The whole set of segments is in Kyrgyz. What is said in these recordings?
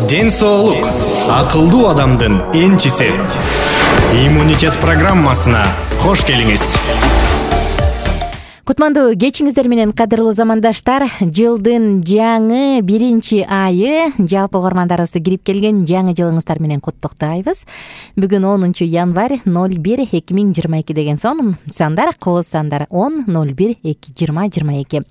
Ден соолук акылдуу адамдын энчиси. Иммунитет программасына кош келиңиз. Кутмандуу кечиңиздер менен, кадырлуу замандаштар. Жылдын жаңы 1-айы жалпы угармандарыбызды кирип келген жаңы жылыңыздар менен куттуктайбыз. Бүгүн 10 январь 01-2022 деген сандар, кооз сандар 10-01-2022.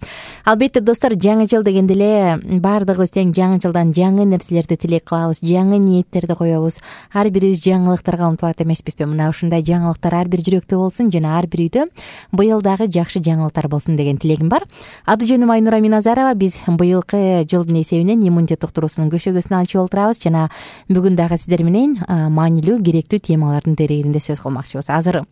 Албетте достор, жаңы жыл дегенде эле баардыгыбыз тең жаңы жылдан жаңы нерселерди тилек кылабыз, жаңы ниеттерди коебуз. Ар бирибиз жаңылыктарга умтулат эмеспизби? Мына ушундай жаңылыктар ар бир жүрөктө болсун жана ар бир үйдө быйыл дагы жакшы жаңылыктар болсун деген тилегим бар. Аты жөнүм Айнура Миназарова. Биз быйылкы жылдын эсебинен иммунитет уктуруусунун көшөгөсүн ачып отурабыз жана бүгүн дагы сиздер менен маанилүү, керектүү темалардын терегинде сөз кылмакчыбыз. Азыр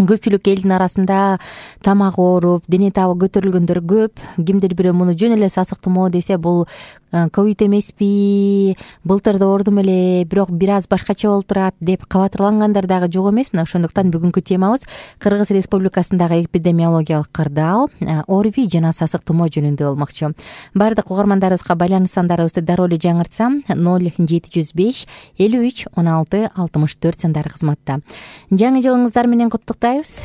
көпчүлүк элдин арасында тамак ооруп, дене табы көтөрүлгөндөр көп. Кимдир бирөө муну жөн эле сасык тумоо десе, бул ковид эмеспи, былтыр да оордум эле, бирок бир аз башкача болуп турат деп кабатырлангандар дагы жок эмес. Мына ошондуктан бүгүнкү темабыз Кыргыз Республикасындагы эпидемиологиялык кырдаал, ОРВИ жана сасык тумоо жөнүндө болмокчу. Баардык угармандарыбызга байланыш сандарыбызды дароо эле жаңыртсам, 0705 53 16 64 сандары кызматта. Жаңы жылыңыздар менен куттуктайбыз.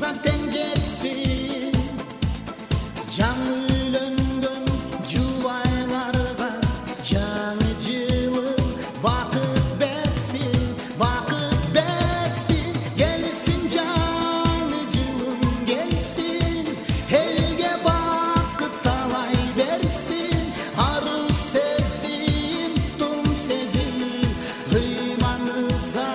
барымызга тең жетсин. Жаңы үйлөнгөн жубайларга жаңы жылың бакыт берсин, бакыт берсин. Келсин жаңы жылың келсин, элге бакыт талай берсин. Ару сезим, тум сезим, ыйманыза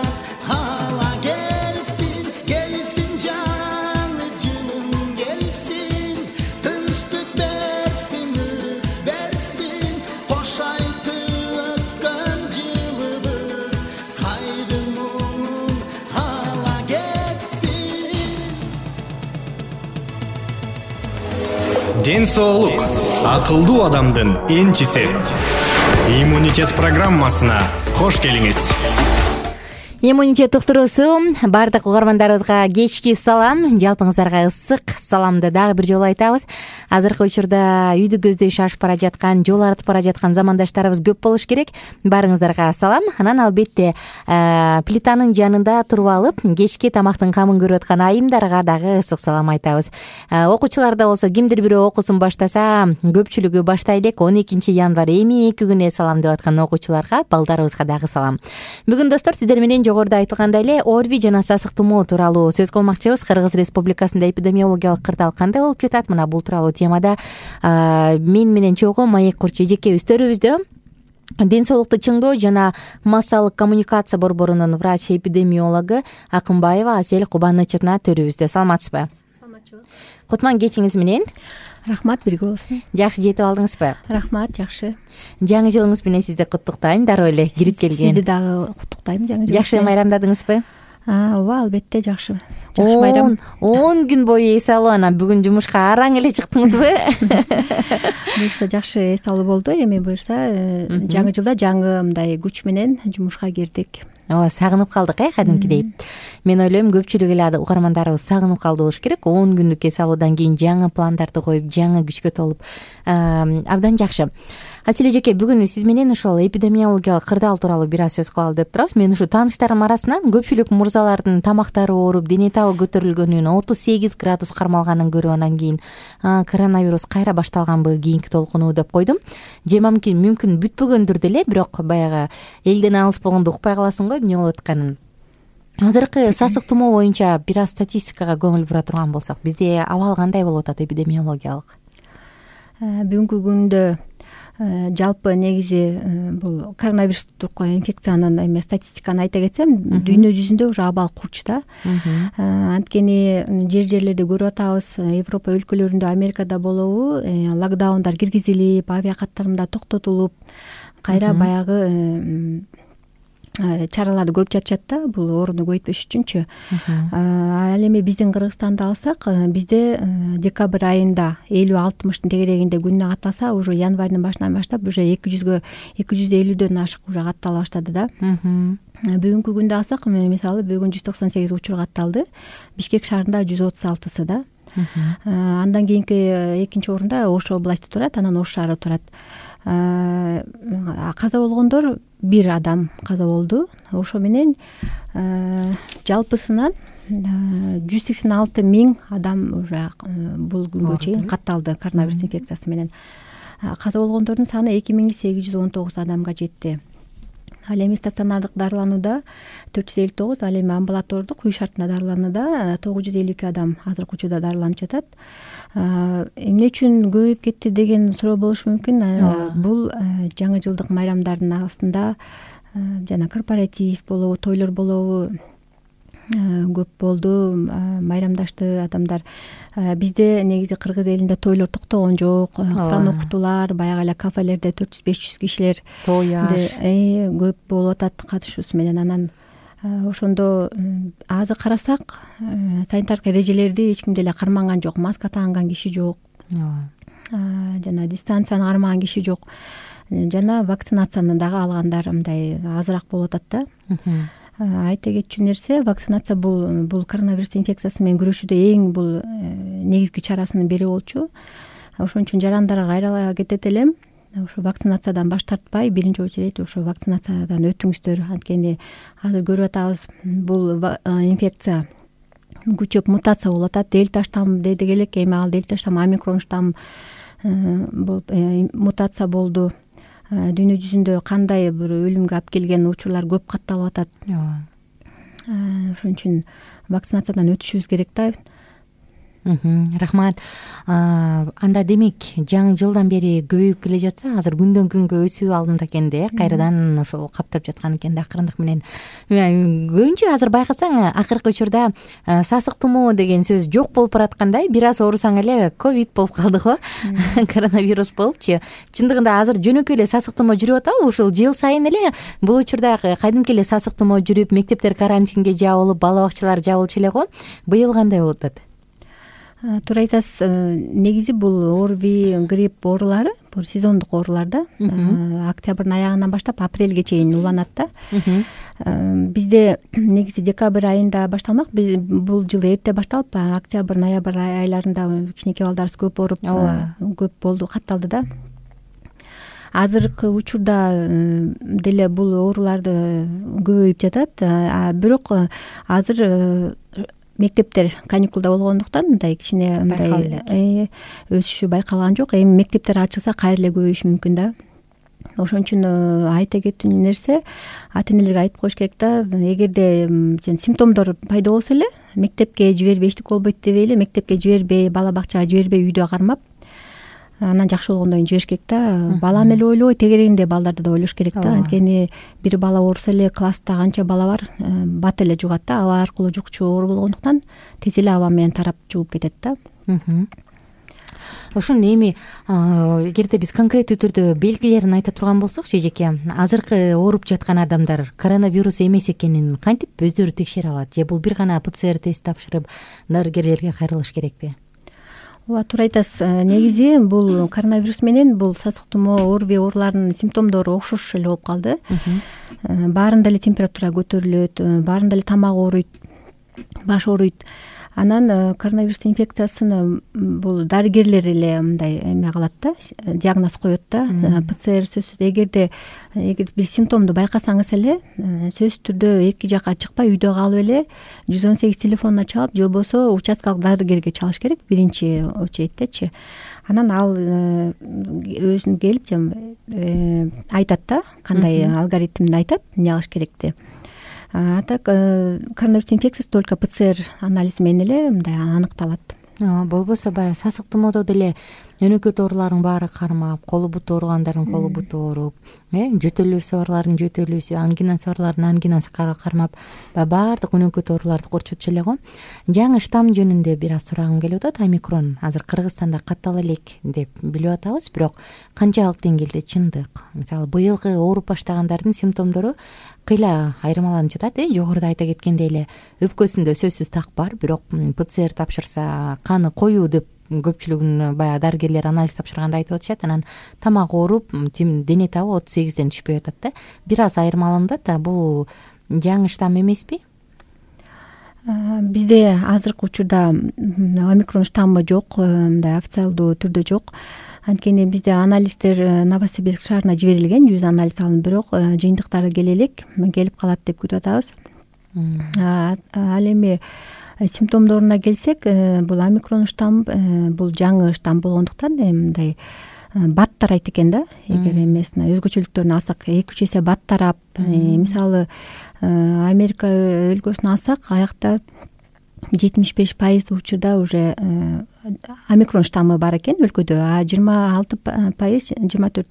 ала келсин. Келсин жаңы жылың келсин, тынчтык берсин, ырыс берсин. Кош айтып өткөн жылыбыз кайдын муңун ала кетсин. Ден соолук акылдуу адамдын энчиси. Иммунитет программасына кош келиңиз. Иммунитет уктуруусу баардык угармандарыбызга кечки салам, жалпыңыздарга ысык саламды дагы бир жолу айтабыз. Азыркы учурда үйдү көздөй шашып бара жаткан, жол артып бара жаткан замандаштарыбыз көп болуш керек. Баарыңыздарга салам. Анан албетте плитанын жанында туруп алып кечки тамактын камын көрүп аткан айымдарга дагы ысык салам айтабыз. Окуучуларда болсо кимдир бирөө окуусун баштаса, көпчүлүгү баштай элек 12 январь эми 2 күнү салам деп аткан окуучуларга, балдарыбызга дагы салам. Бүгүн достор сиздер менен жогоруда айтылгандай эле ОРВИ жана сасык тумоо тууралуу сөз кылмакчыбыз. Кыргыз Республикасында эпидемиологиялык кырдаал кандай болуп жатат? Мына бул тууралуу темада мен менен чогуу Маек Курч эжеке өстөрүбүздө ден соолукту чыңдоо жана массалык коммуникация борборунун врач-эпидемиологу Акынбаева Асель Кубанычовна төрүбүздө. Саламатсызбы? Саламатчылык. Кутман кечиңиз менен. Рахмат, бирге болсун. Жакшы жетип алдыңызбы? Рахмат, жакшы. Жаңы жылыңыз менен сизди куттуктайм. Дароо эле кирип келген. Сизди дагы куттуктайм жаңы жыл. Жакшы майрамдадыңызбы? Ооба, албетте жакшы. Жакшы майрам. 10 күн бою эс алуу, анан бүгүн жумушка араң эле чыктыңызбы? Буюрса жакшы эс алуу болду. Эми буюрса жаңы жылда жаңы мындай күч менен жумушка кирдик. Ооба, сагынып калдык кадимкидей. Мен ойлойм көпчүлүк эле угармандарыбыз сагынып калды болуш керек. 10 күндүк эс алуудан кийин жаңы пландарды коюп, жаңы күчкө толуп абдан жакшы. Асель эжеке, бүгүн сиз менен ошол эпидемиологиялык кырдаал тууралуу бир аз сөз кылалы деп турабыз. Мен ушу тааныштарым арасынан көпчүлүк мырзалардын тамактары ооруп, дене табы көтөрүлгөнүн, 38 градус кармалганын көрүп анан кийин коронавирус кайра башталганбы кийинки толкуну деп койдум. Же мүмкүн бүтпөгөндүр деле, бирок баягы элден алыс болгондо укпай каласың го эмне болуп атканын. Азыркы сасык тумоо боюнча бир аз статистикага көңүл бура турган болсок, бизде абал кандай болуп атат эпидемиологиялык? Бүгүнкү күндө жалпы негизи бул коронавирустук инфекциянын статистиканы айта кетсем, дүйнө жүзүндө уже абал курч да. Анткени жерлерде көрүп атабыз, Европа өлкөлөрүндө, Америкада болобу, локдаундар киргизилип, авиакаттарымда токтотулуп, кайра баягы чараларды көрүп жатышат да, бул ооруну көбөйтпөш үчүнчү. Ал эми биздин Кыргызстанды алсак, бизде декабрь айында 50-60 тегерегинде күнүнө катталса, уже январьдын башынан баштап уже 250дөн ашык уже каттала баштады да. Бүгүнкү күндө алсак, мисалы бүгүн 198 учур катталды. Бишкек шаарында 136сы да. Андан кийинки экинчи орунда Ош области турат, анан Ош шаары турат. Каза болгондор 1 адам каза болду. Ошо менен жалпысынан 186 000 адам уже бул күнгө чейин катталды коронавирус инфекциясы менен. Каза болгондордун саны 2819 адамга жетти. Ал эми стационардык дарыланууда 459, ал эми амбулатордук үй шартында дарыланууда 952 адам азыркы учурда дарыланып жатат. Эмне үчүн көбөйүп кетти деген суроо болушу мүмкүн. Бул жаңы жылдык майрамдардын астында жана корпоратив болобу, тойлор болобу көп болду, майрамдашты адамдар. Бизде негизи кыргыз элинде тойлор токтогон жок, Куран окутуулар, баягы эле кафелерде 400-500 кишилер той аш көп болуп атат катышуусу менен. Анан ошондо азыр карасак, санитардык эрежелерди эч ким деле карманган жок, маска тааган киши жок, жана дистанцияны кармаган киши жок, жана вакцинацияны дагы алгандар мындай азыраак болуп атат да. Айта кетчү нерсе, вакцинация бул коронавирус инфекциясы менен күрөшүүдө эң бул негизги чарасынын бири болчу. Ошон үчүн жарандарга кайрыла кетет элем. Ошо вакцинациядан баш тартпай, биринчи очередь ошо вакцинациядан өтүңүздөр. Анткени азыр көрүп атабыз, бул инфекция күчөп мутация болуп атат. Дельта штамм дедик элек, эми ал дельта штамм омикрон штамм болуп мутация болду. Дүйнө жүзүндө кандай бир өлүмгө алып келген учурлар көп катталып атат. Ошон үчүн вакцинациядан өтүшүбүз керек да. Рахмат. Анда демек жаңы жылдан бери көбөйүп келе жатса, азыр күндөн күнгө өсүү алдында экен да, кайрадан ошол каптап жаткан экен да акырындык менен. Көбүнчө азыр байкасаң, акыркы учурда сасык тумоо деген сөз жок болуп бараткандай, бир аз оорусаң эле ковид болуп калды го, коронавирус болупчу. Чындыгында азыр жөнөкөй эле сасык тумоо жүрүп атабы? Ушул жыл сайын эле бул учурда кайдымкы эле сасык тумоо жүрүп, мектептер карантинге жабылып, бала бакчалар жабылчу эле го. Быйыл кандай болуп атат? Туура айтасыз. Негизи бул ОРВИ, грипп оорулары, бул сезондук оорулар да. Октябрдын аягынан баштап апрелге чейин уланат да. Бизде негизи декабрь айында башталмак. Бул жылы эрте башталып, октябрь, ноябрь айларында кичинекей балдарыбыз көп ооруп, көп болду, катталды да. Азыркы учурда деле бул ооруларды көбөйүп жатат. Бирок азыр мектептер каникулда болгондуктан мындай кичине мындай өсүшү байкалган жок. Эми мектептер ачылса кайра эле көбөйүшү мүмкүн да. Ошон үчүн айта кетүү нерсе, ата энелерге айтып коюш керек да, эгерде симптомдор пайда болсо эле мектепке жибербей, эчтеке болбойт дебей эле мектепке жибербей, бала бакчага жибербей, үйдө кармап, анан жакшы болгондон кийин жибериш керек да. Баланы эле ойлобой, тегерегинде балдарды да ойлош керек да. Анткени бир бала ооруса эле класста канча бала бар, бат эле жугат да. Аба аркылуу жукчу оору болгондуктан тез эле аба менен тарап жугуп кетет да. Ошон эми эгерде биз конкреттүү түрдө белгилерин айта турган болсок, эжеке, азыркы ооруп жаткан адамдар коронавирус эмес экенин кантип өздөрү текшере алат? Же бул бир гана ПЦР тест тапшырып дарыгерлерге кайрылыш керекпи? Ооба, туура айтасыз. Негизи бул коронавирус менен бул сасык тумоо, ОРВИ ооруларынын симптомдору окшош эле болуп калды. Баарында эле температура көтөрүлөт, баарында эле тамак ооруйт, баш ооруйт. Анан коронавирус инфекциясыны бул дарыгерлер эле мындай эме кылат да, диагноз коет да. ПЦР сөзсүз, эгер бир симптомду байкасаңыз эле, сөзсүз түрдө эки жакка чыкпай үйдө калып эле 118 телефонуна чалып, же болбосо участкалык дарыгерге чалыш керек, биринчи очередтечи. Анан ал өзүн келип айтат да, кандай алгоритмди айтат, эмне кылыш керекти. А так коронавирус инфекциясы только ПЦР анализи менен эле мындай аныкталат. Болбосо баягы сасык тумоодо деле өнөкөт оорулардын баары кармап, колу буту ооругандардын колу буту ооруп, жөтөлүүсү барлардын жөтөлүүсү, ангинасы барлардын ангинасы кармап, баардык өнөкөт ооруларды корчутчу эле го. Жаңы штамм жөнүндө бир аз сурагым келип атат. Омикрон азыр Кыргызстанда каттала элек деп билип атабыз, бирок канчалык деңгээлде чындык? Мисалы, быйылкы ооруп баштагандардын симптомдору кыйла айырмаланып жатат. Жогоруда айта кеткендей эле өпкөсүндө сөзсүз так бар, бирок ПЦР тапшырса каны коюу деп көпчүлүгүн баягы дарыгерлер анализ тапшырганда айтып атышат. Анан тамак ооруп, дене табы 38ден түшпөй атат да. Бир аз айырмаланат да. Бул жаңы штамм эмеспи? Бизде азыркы учурда омикрон штаммы жок, мындай официалдуу түрдө жок. Анткени бизде анализдер Новосибирск шаарына жиберилген, 100 анализ алынып, бирок жыйынтыктары келе элек, келип калат деп күтүп атабыз. Ал эми симптомдоруна келсек, бул омикрон штамм, бул жаңы штамм болгондуктан мындай бат тарайт экен да. Эгер эмесин өзгөчөлүктөрүн алсак, 2-3 эсе бат тарап, мисалы Америка өлкөсүн алсак, аякта 75% учурда уже омикрон штаммы бар экен өлкөдө, а 26%,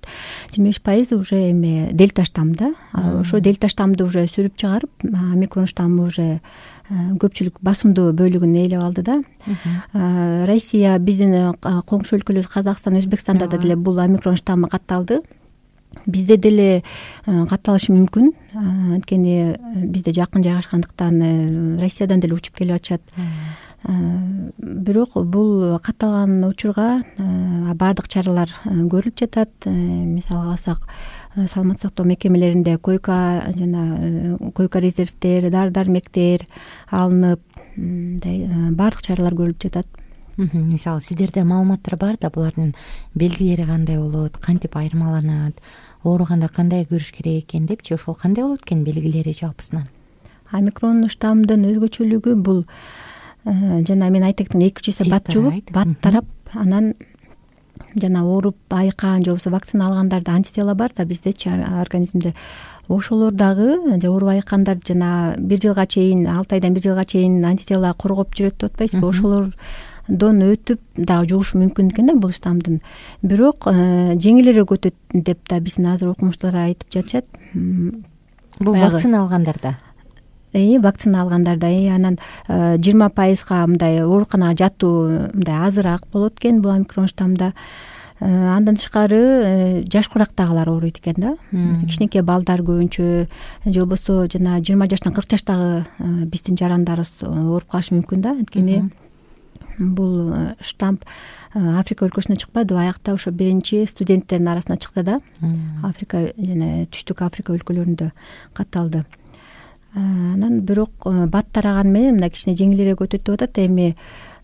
24-25% уже эме дельта штамм да. Ошо дельта штаммды уже сүрүп чыгарып, омикрон штаммы уже көпчүлүк басымдуу бөлүгүн ээлеп алды да. Россия, биздин коңшу өлкөлөрүбүз Казакстан, Өзбекстанда да деле бул омикрон штаммы катталды. Бизде деле катталышы мүмкүн, анткени бизде жакын жайгашкандыктан Россиядан деле учуп келип атышат. Бирок бул катталган учурга баардык чаралар көрүлүп жатат. Мисалга алсак, саламаттык сактоо мекемелеринде койка резервдер, дары-дармектер алынып, баардык чаралар көрүлүп жатат. Мисалы, сиздерде маалыматтар бар да, булардын белгилери кандай болот, кантип айырмаланат, ооруганда кандай көрүш керек экен депчи, ошол кандай болот экен белгилери жалпысынан? Омикрон штаммдын өзгөчөлүгү бул жана мен айтайын 2-3 эсе бат жугуп, бат тарап, анан жана ооруп айыккан же болбосо вакцина алгандарда антитела бар да биздечи организмде. Ошолор дагы ооруп айыккандар жана 1 жылга чейин, 6 айдан 1 жылга чейин антитела коргоп жүрөт деп атпайсызбы? Ошолордон өтүп дагы жугушу мүмкүн экен да бул штаммдын. Бирок жеңилирээк өтөт деп да биздин азыр окумуштуулар айтып жатышат. Бул вакцина алгандарда. Вакцина алгандарда анан 20%га мындай ооруканага жатуу мындай азыраак болот экен бул омикрон штаммда. Андан тышкары жаш курактагылар ооруйт экен да. Кичинекей балдар көбүнчө же болбосо жана 20 жаштан 40 жаштагы биздин жарандарыбыз ооруп калышы мүмкүн да. Анткени бул штамм Африка өлкөсүнөн чыкпады, аякта ошо биринчи студенттердин арасына чыкты да. Африка жана Түштүк Африка өлкөлөрүндө катталды. Анан бирок бат тараган менен мына кичине жеңилирээк өтөт деп атат. Эми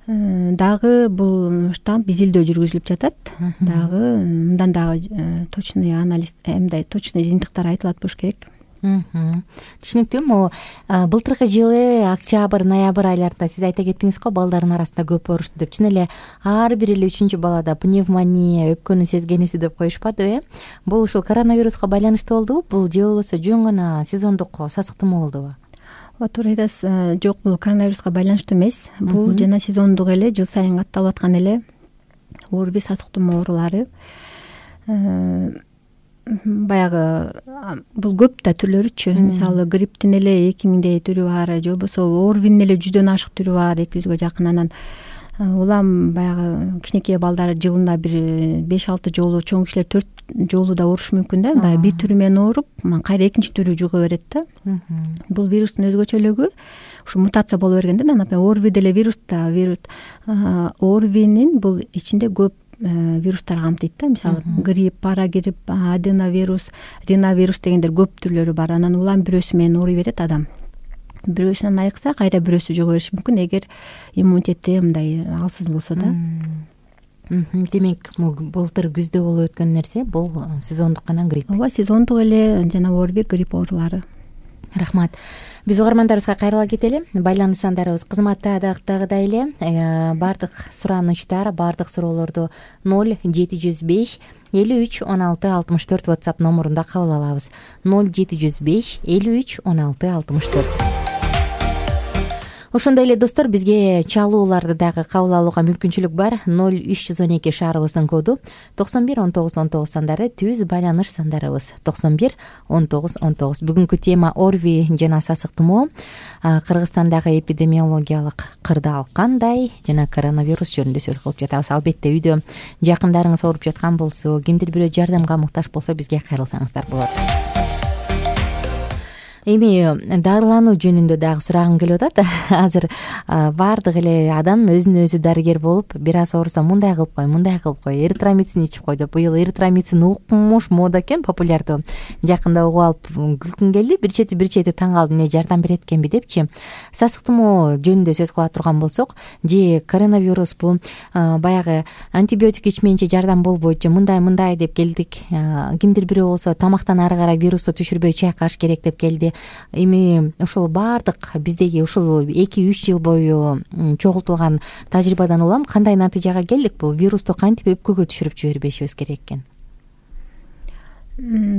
дагы бул штамм изилдөө жүргүзүлүп жатат. Дагы мындан дагы точный анализ, мындай точный жыйынтыктар айтылат болуш керек. Түшүнүктүү. Могу былтыркы жылы октябрь, ноябрь айларында сиз айта кеттиңиз го, балдардын арасында көп оорушту деп. Чын эле ар бир эле 3-чү балада пневмония, өпкөнү сезгенүүсү деп коюшпадыбы? Бул ушул коронавируска байланыштуу болдубу? Бул же болбосо жөн гана сезондук сасык тумоо болдубу? Туура айтасыз. Жок, бул коронавируска байланыштуу эмес. Бул жана сезондук эле, жыл сайын катталып аткан эле ОРВИ, сасык тумоо оорулары. Баягы бул көп да түрлөрүчү. Мисалы грипптин эле 2000дей түрү бар, же болбосо ОРВИнин эле 100дөн ашык түрү бар, 200гө жакын. Анан улам баягы кичинекей балдар жылына бир 5-6 жолу, чоң кишилер 4 жолу да оорушу мүмкүн да. Баягы бир түрү менен ооруп, кайра экинчи түрү жуга берет да. Бул вирустун өзгөчөлүгү ушу мутация боло берген да. Например, ОРВИ деле вирус да, ОРВИнин бул ичинде көп вирустар камтыйт да. Мисалы грипп, парагрипп, аденовирус, риновирус дегендер көп түрлөрү бар. Анан улам бирөөсү менен ооруй берет адам. Бирөөсүнөн айыкса, кайра бирөөсү жуга бериши мүмкүн, эгер иммунитети мындай алсыз болсо да. Демек, былтыр күздө болуп өткөн нерсе бул сезондук гана грипп. Ооба, сезондук эле жана ОРВИ, грипп оорулары. Рахмат. Биз угармандарыбызга кайрыла кетели. Байланыш сандарыбыз кызматтагыдай эле. Бардык суранычтар, бардык суроолорду 0705 53 16 64 WhatsApp номурунда кабыл алабыз. 0705 53 16 64. Ошондой эле достор, бизге чалууларды дагы кабыл алууга мүмкүнчүлүк бар. 0312 шаарыбыздын коду, 91 19 19 сандары түз байланыш сандарыбыз. 91 19 19. Бүгүнкү тема ОРВИ жана сасык тумоо. Кыргызстандагы эпидемиологиялык кырдаал кандай жана коронавирус жөнүндө сөз кылып жатабыз. Албетте үйдө жакындарыңыз ооруп жаткан болсо, кимдир бирөө жардамга муктаж болсо бизге кайрылсаңыздар болот. Эми дарылануу жөнүндө дагы сурагым келип атат. Азыр баардык эле адам өзүн өзү дарыгер болуп, бир аз ооруса мындай кылып кой, мындай кылып кой, эритромицин ичип кой деп. Быйыл эритромицин укмуш мода экен, популярдуу. Жакында угуп алып күлкүм келди. Бир чети таң калдым, эмне жардам берет экенби депчи. Сасык тумоо жөнүндө сөз кыла турган болсок, же коронавирус бул баягы антибиотик ичмейинче жардам болбойт, же мындай деп келдик. Кимдир бирөө болсо тамактан ары карай вирусту түшүрбөй чайкаш керек деп келди. Эми ушул баардык биздеги ушул 2-3 жыл бою чогултулган тажрыйбадан улам кандай натыйжага келдик? Бул вирусту кантип өпкөгө түшүрүп жибербешибиз керек экен?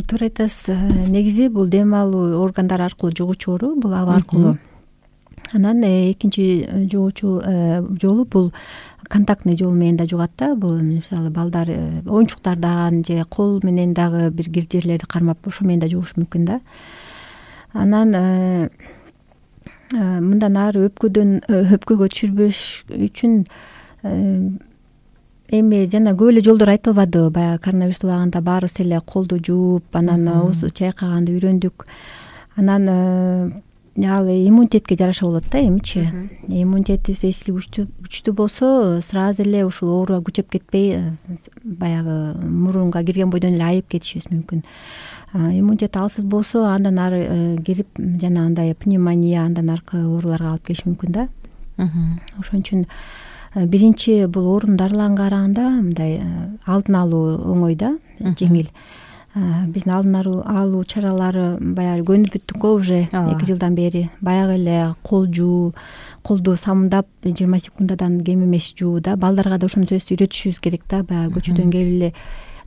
Туура айтасыз. Негизи бул дем алуу органдары аркылуу жугуучу оору, бул аба аркылуу. Анан экинчи жугуучу жолу бул контактный жол менен да жугат да. Бул мисалы балдар оюнчуктардан же кол менен дагы бир кир жерлерди кармап ошо менен да жугушу мүмкүн да. Анан мындан ары өпкөгө түшүрбөш үчүн эми жана көп эле жолдор айтылбады. Баягы коронавирус убагында баарыбыз эле колду жууп, анан оозду чайкаганды үйрөндүк. Анан ал иммунитетке жараша болот да. Эмичи иммунитетибиз эсли күчтүү болсо, сразу эле ушул оору күчөп кетпей, баягы мурунга кирген бойдон эле айып кетишибиз мүмкүн. Иммунитет алсыз болсо, андан ары грипп жана андай пневмония, андан аркы ооруларга алып келиши мүмкүн да. Ошон үчүн биринчи бул оорунун дарыланганга караганда мындай алдын алуу оңой да, жеңил. биздин алдын алуу чаралары баягы көнүп бүттүк го уже 2 жылдан бери. Баягы эле кол жуу, колду самындап 20 секундадан кем эмес жуу да. Балдарга да ошону сөзсүз үйрөтүшүбүз керек да. Баягы көчөдөн келип эле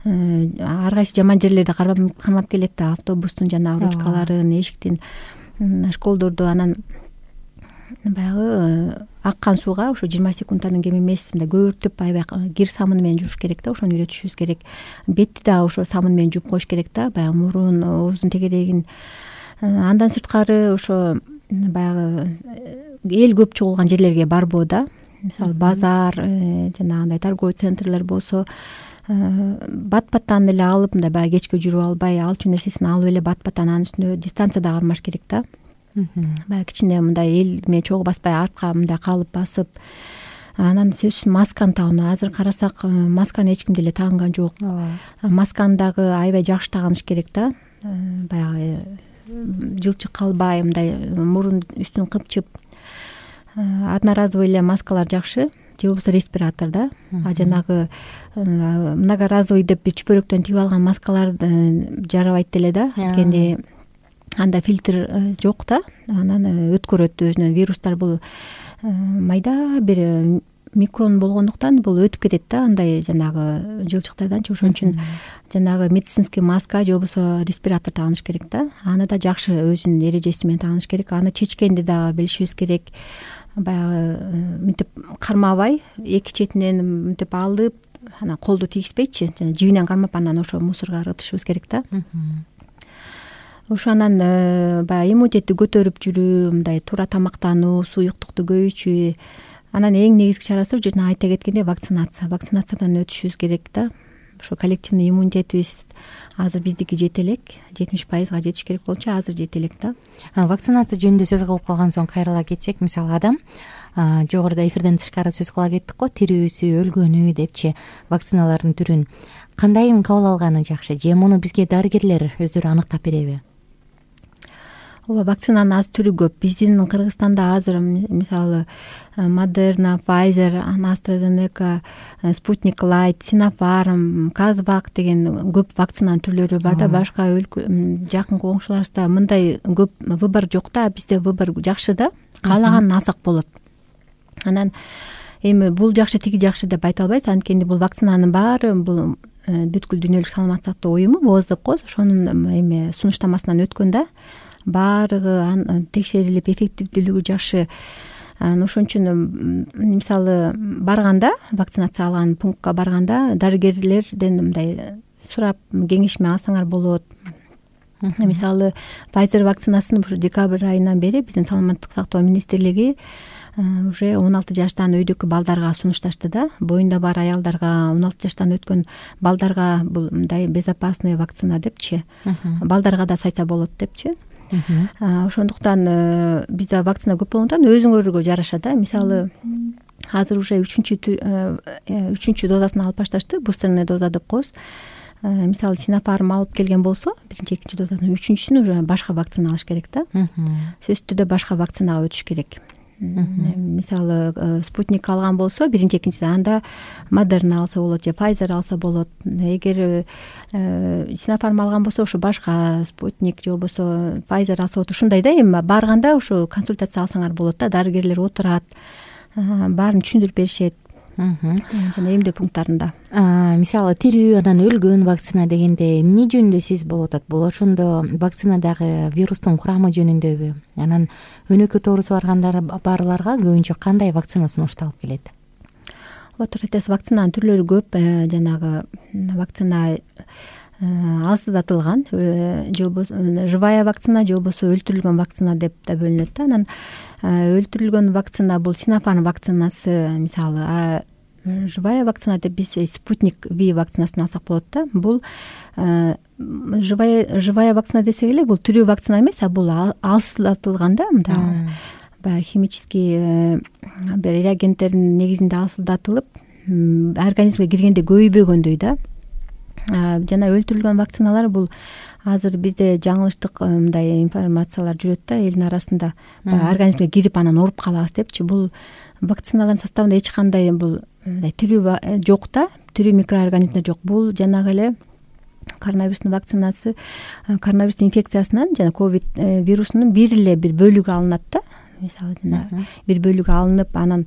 ар кайсы жаман жерлерди кармап келет да. Автобустун жанагы ручкаларын, эшиктин, школдорду, анан баягы аккан сууга ошо 20 секунддан кем эмес мындай көбүртүп аябай кир самыны менен жууш керек да. Ошону үйрөтүшүбүз керек. Бетти да ошо самын менен жууп коюш керек да. Баягы мурун, ооздун тегерегин. Андан сырткары ошо баягы эл көп чогулган жерлерге барбоо да. Мисалы базар, жанагындай торговый центрлер болсо бат-баттан эле алып, мындай баягы кечке жүрүп албай, алчу нерсесин алып эле бат-баттан анын үстүнө дистанцияда кармаш керек да. Баягы кичине мындай эл менен чогуу баспай, артка мындай калып басып, анан сөзсүз масканы тагуу. Азыр карасак масканы эч ким деле тагынган жок. Масканы дагы аябай жакшы тагыныш керек да. Баягы жылчык калбай, мындай мурун үстүн кыпчып. Одноразовый эле маскалар жакшы, же болбосо респиратор да. Жанагы многоразовый деп чүпөрөктөн тигип алган маскалар жарабайт деле да. Анткени анда фильтр жок да. Анан өткөрөт өзүнөн вирустар. Бул майда бир микрон болгондуктан бул өтүп кетет да, андай жанагы жылчыктарданчы. Ошон үчүн жанагы медицинский маска же болбосо респиратор тагыныш керек да. Аны да жакшы өзүнүн эрежеси менен тагыныш керек. Аны чечкенди дагы билишибиз керек. Баягы мынтип кармабай, эки четинен мынтип алып, анан колду тийгизбейчи, жана жибинен кармап анан ошо мусорго ыргытышыбыз керек да. Ошо анан баягы иммунитетти көтөрүп жүрүү, мындай туура тамактануу, суюктукту көбөйтүү. Анан эң негизги чарасы жана айта кеткендей вакцинация. Вакцинациядан өтүшүбүз керек да. Ошо коллективный иммунитетибиз азыр биздики жете элек, 70%га жетиш керек болчу, азыр жете элек да. Вакцинация жөнүндө сөз кылып калган соң кайрыла кетсек, мисалы адам жогоруда эфирден тышкары сөз кыла кеттик го, тирүүсү, өлгөнү депчи вакциналардын түрүн кандайын кабыл алганы жакшы, же муну бизге дарыгерлер өздөрү аныктап береби? Ооба, вакцинанын азыр түрү көп. Биздин Кыргызстанда азыр мисалы Moderna, Pfizer, AstraZeneca, Sputnik Light, Sinopharm, Kazbak деген көп вакцинанын түрлөрү бар да. Башка жакын коңшуларыбызда мындай көп выбор жок да. Бизде выбор жакшы да. Каалаганын алсак болот. Анан эми бул жакшы, тиги жакшы деп айта албайбыз. Анткени бул вакцинанын баары бул бүткүл дүйнөлүк саламаттык сактоо уюму ооздук коз ошонун эми сунуштамасынан өткөн да. Баарыгы текшерилип, эффективдүүлүгү жакшы. Ошон үчүн мисалы барганда, вакцинация алган пунктка барганда дарыгерлерден мындай сурап кеңешме алсаңар болот. Мисалы Pfizer вакцинасын ушу декабрь айынан бери биздин саламаттык сактоо министрлиги уже 16 жаштан өйдөкү балдарга сунушташты да. Боюнда бар аялдарга, 16 жаштан өткөн балдарга бул мындай безопасный вакцина депчи. Балдарга да сайса болот депчи. Ошондуктан бизде вакцина көп болгондон өзүңөргө жараша да. Мисалы азыр уже 3-чү дозасын алып башташты, бустерный доза деп коебуз. Мисалы Sinopharm алып келген болсо, биринчи, экинчи дозасын, үчүнчүсүн уже башка вакцина алыш керек да. Сөзсүз түрдө башка вакцинага өтүш керек. Мисалы Sputnik алган болсо, биринчи, экинчи анда Moderna алса болот же Pfizer алса болот. Эгер Sinopharm алган болсо, ошо башка Sputnik же болбосо Pfizer алса болот. Ушундай да, эми барганда ошо консультация алсаңар болот да. Дарыгерлер отурат, баарын түшүндүрүп беришет. Жана эмдөө пункттарында. Мисалы тирүү, анан өлгөн вакцина дегенде эмне жөнүндө сиз болуп атат? Бул ошондо вакцинадагы вирустун курамы жөнүндөбү? Анан өнөкөт оорусу барларга көбүнчө кандай вакцина сунушталып келет? Туура айтасыз, вакцинанын түрлөрү көп. Жанагы вакцина алсыздатылган, же болбосо живая вакцина, же болбосо өлтүрүлгөн вакцина деп да бөлүнөт да. Анан өлтүрүлгөн вакцина бул Sinopharm вакцинасы. Мисалы живая вакцина деп биз Sputnik V вакцинасын алсак болот да. Бул живая вакцина десек эле, бул тирүү вакцина эмес, а бул алсыздатылган да. Мындай баягы химический бир реагенттердин негизинде алсыздатылып, организмге киргенде көйбөгөндөй да. Жана өлтүрүлгөн вакциналар бул азыр бизде жаңылыштык мындай информациялар жүрөт да элдин арасында. Организмге кирип анан ооруп калабыз депчи. Бул вакциналардын составында эч кандай бул тирүү жок да, тирүү микроорганизмдер жок. Бул жанагы эле коронавирустун вакцинасы коронавирус инфекциясынан жана ковид вирусунун бир эле бир бөлүгү алынат да. Мисалы жана бир бөлүгү алынып, анан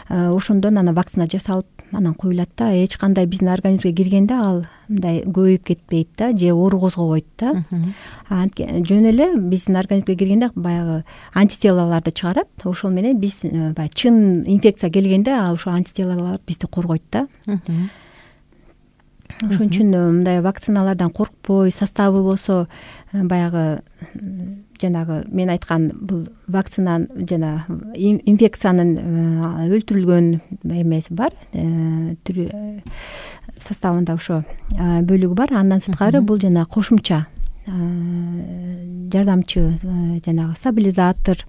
ошондон анан вакцина жасалып анан коюлат да. Эч кандай биздин организмге киргенде ал мындай көбөйүп кетпейт да, же оору козгобойт да. Жөн эле биздин организмге киргенде баягы антителаларды чыгарат. Ошол менен биз баягы чын инфекция келгенде ошол антителалар бизди коргойт да. Ошон үчүн мындай вакциналардан коркпой, составы болсо баягы жанагы мен айткан бул вакцина жана инфекциянын өлтүрүлгөн эмеси бар, составында ошо бөлүгү бар. Андан сырткары бул жана кошумча жардамчы жанагы стабилизатор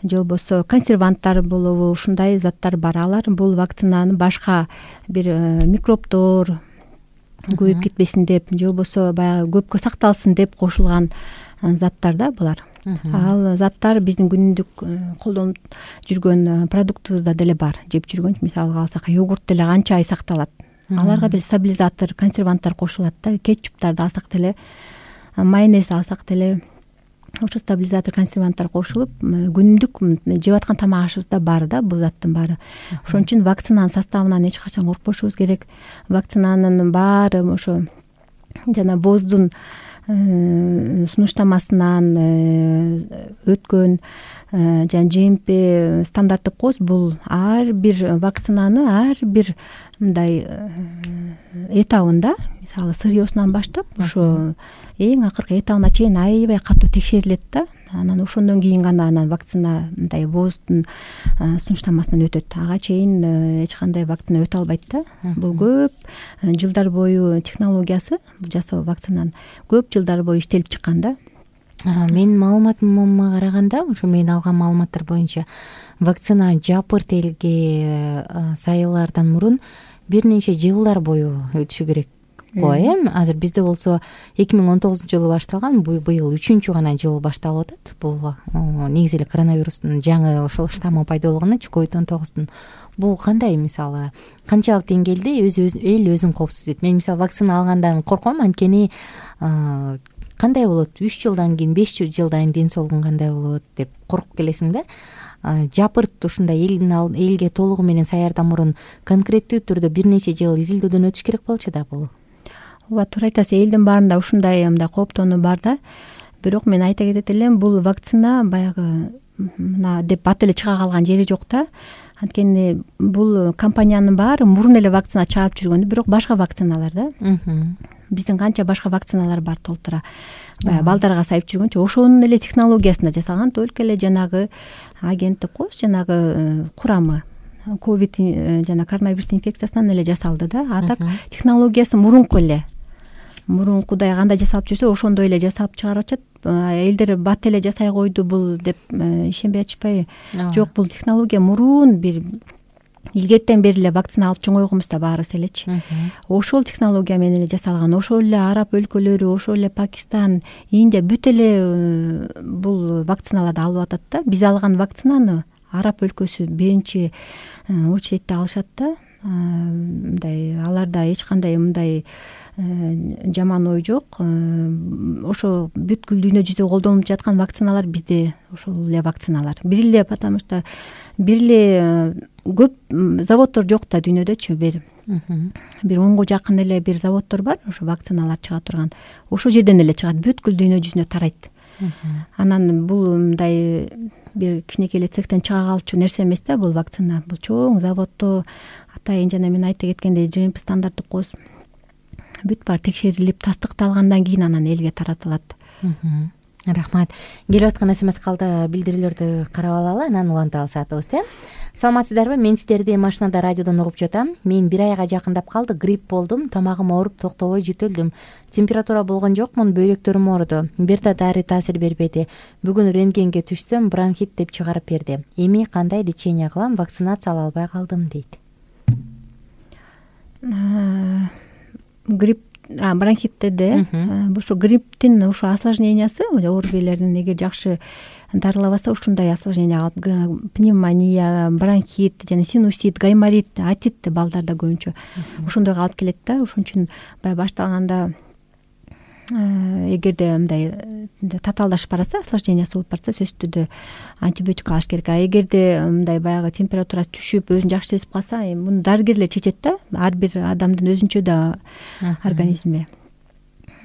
же болбосо консерванттар болобу, ушундай заттар бар. Алар бул вакцинаны башка бир микробдор көбөйүп кетпесин деп же болбосо баягы көпкө сакталсын деп кошулган заттар да булар. Ал заттар биздин күнүмдүк колдонуп жүргөн продуктубузда деле бар. Жеп жүргөн, мисалга алсак, йогурт деле канча ай сакталат. Аларга деле стабилизатор, консерванттар кошулат да. Кетчуптарды алсак деле, майонез алсак деле ошо стабилизатор, консерванттар кошулуп күнүмдүк жеп аткан тамак ашыбызда бар да бул заттын баары. Ошон үчүн вакцинанын составынан эч качан коркпошубуз керек. Вакцинанын баары ошо жана ВОЗдун сунуштамасынан өткөн жана ЖМП стандарттык коз бул ар бир вакцинаны ар бир мындай этабында, мисалы сырьёсунан баштап ошо эң акыркы этабына чейин аябай катуу текшерилет да. Анан ошондон кийин гана анан вакцина мындай ВОЗдун сунуштамасынан өтөт. Ага чейин эч кандай вакцина өтө албайт да. Бул көп жылдар бою технологиясы жасоо вакцинанын көп жылдар бою иштелип чыккан да. Менин маалыматыма караганда, ошо мен алган маалыматтар боюнча вакцина жапырт элге сайылаардан мурун бир нече жылдар бою өтүшү керек го. Азыр бизде болсо 2019-жылы башталган, быйыл 3-чү гана жыл башталып атат. Бул негизи эле коронавирустун жаңы ошол штаммы пайда болгону COVID-19-дун. Бул кандай, мисалы, канчалык деңгээлде эл өзүн коопсуздайт? Мен мисалы вакцина алгандан корком, анткени кандай болот 3 жылдан кийин, 5 жылдан кийин ден соолугум кандай болот деп коркуп келесиң да. Жапырт ушундай элге толугу менен саярдан мурун конкреттүү түрдө бир нече жыл изилдөөдөн өтүш керек болчу да бул. Ооба, туура айтасыз. Элдин баарында ушундай мындай кооптонуу бар да. Бирок мен айта кетет элем, бул вакцина баягы мына деп бат эле чыга калган жери жок да. Анткени бул компаниянын баары мурун эле вакцина чыгарып жүргөн, бирок башка вакциналар да. Биздин канча башка вакциналар бар толтура. Баягы балдарга сайып жүргөнчө ошонун эле технологиясында жасалган, только эле жанагы агенттик коз, жанагы курамы ковид жана коронавирус инфекциясынан эле жасалды да. А так технологиясы мурунку эле. Мурункудай кандай жасалып жүрсө, ошондой эле жасап чыгарып атышат. Элдер бат эле жасай койду бул деп ишенбей атышпайбы? Жок, бул технология мурун бир илгертен бери эле вакцина алып чоңойгонбузда баарыбыз элечи. Ошол технология менен эле жасалган. Ошол эле араб өлкөлөрү, ошол эле Пакистан, Индия бүт эле бул вакциналарды алып атат да. Биз алган вакцинаны араб өлкөсү биринчи очередте алышат да. Мындай аларда эч кандай мындай жаман ой жок. Ошо бүткүл дүйнө жүзүндө колдонулуп жаткан вакциналар бизде ошол эле вакциналар. Бир эле, потому что бир эле көп заводдор жок да дүйнөдөчү. Бир 10го жакын эле бир заводдор бар, ошо вакциналар чыга турган. Ошол жерден эле чыгат, бүткүл дүйнө жүзүнө тарайт. Анан бул мындай бир кичинекей эле цехтен чыга калчу нерсе эмес да бул вакцина. Бул чоң заводдо атайын жана мен айта кеткендей ЖМП стандарттык коз бүт баары текшерилип, тастыкталгандан кийин анан элге таратылат. Рахмат. Келип аткан СМС калды билдирүүлөрдү карап алалы, анан улантып алсатыбыз. Саламатсыздарбы? Мен сиздерди машинада, радиодон угуп жатам. Мен 1 айга жакындап калды, грипп болдум, тамагым ооруп, токтобой жөтөлдүм. Температура болгон жокмун, бөйрөктөрүм ооруду. Бир да дары таасир бербеди. Бүгүн рентгенге түшсөм, бронхит деп чыгарып берди. Эми кандай лечение кылам? Вакцинация ала албай калдым дейт. Грипп, бронхитте ошо грипптин ошо осложнениясы, оорубейлердин эгер жакшы дарылабаса ушундай осложнение алып, пневмония, бронхит жана синусит, гайморит, атит балдарда көбүнчө ошондойго алып келет да. Ошон үчүн баягы башталганда эгерде мындай татаалдашып баратса, осложнениясы болуп баратса, сөзсүз түрдө антибиотик алыш керек. А эгерде мындай баягы температурасы түшүп, өзүн жакшы сезип калса, муну дарыгерлер чечет да. Ар бир адамдын өзүнчө да организми.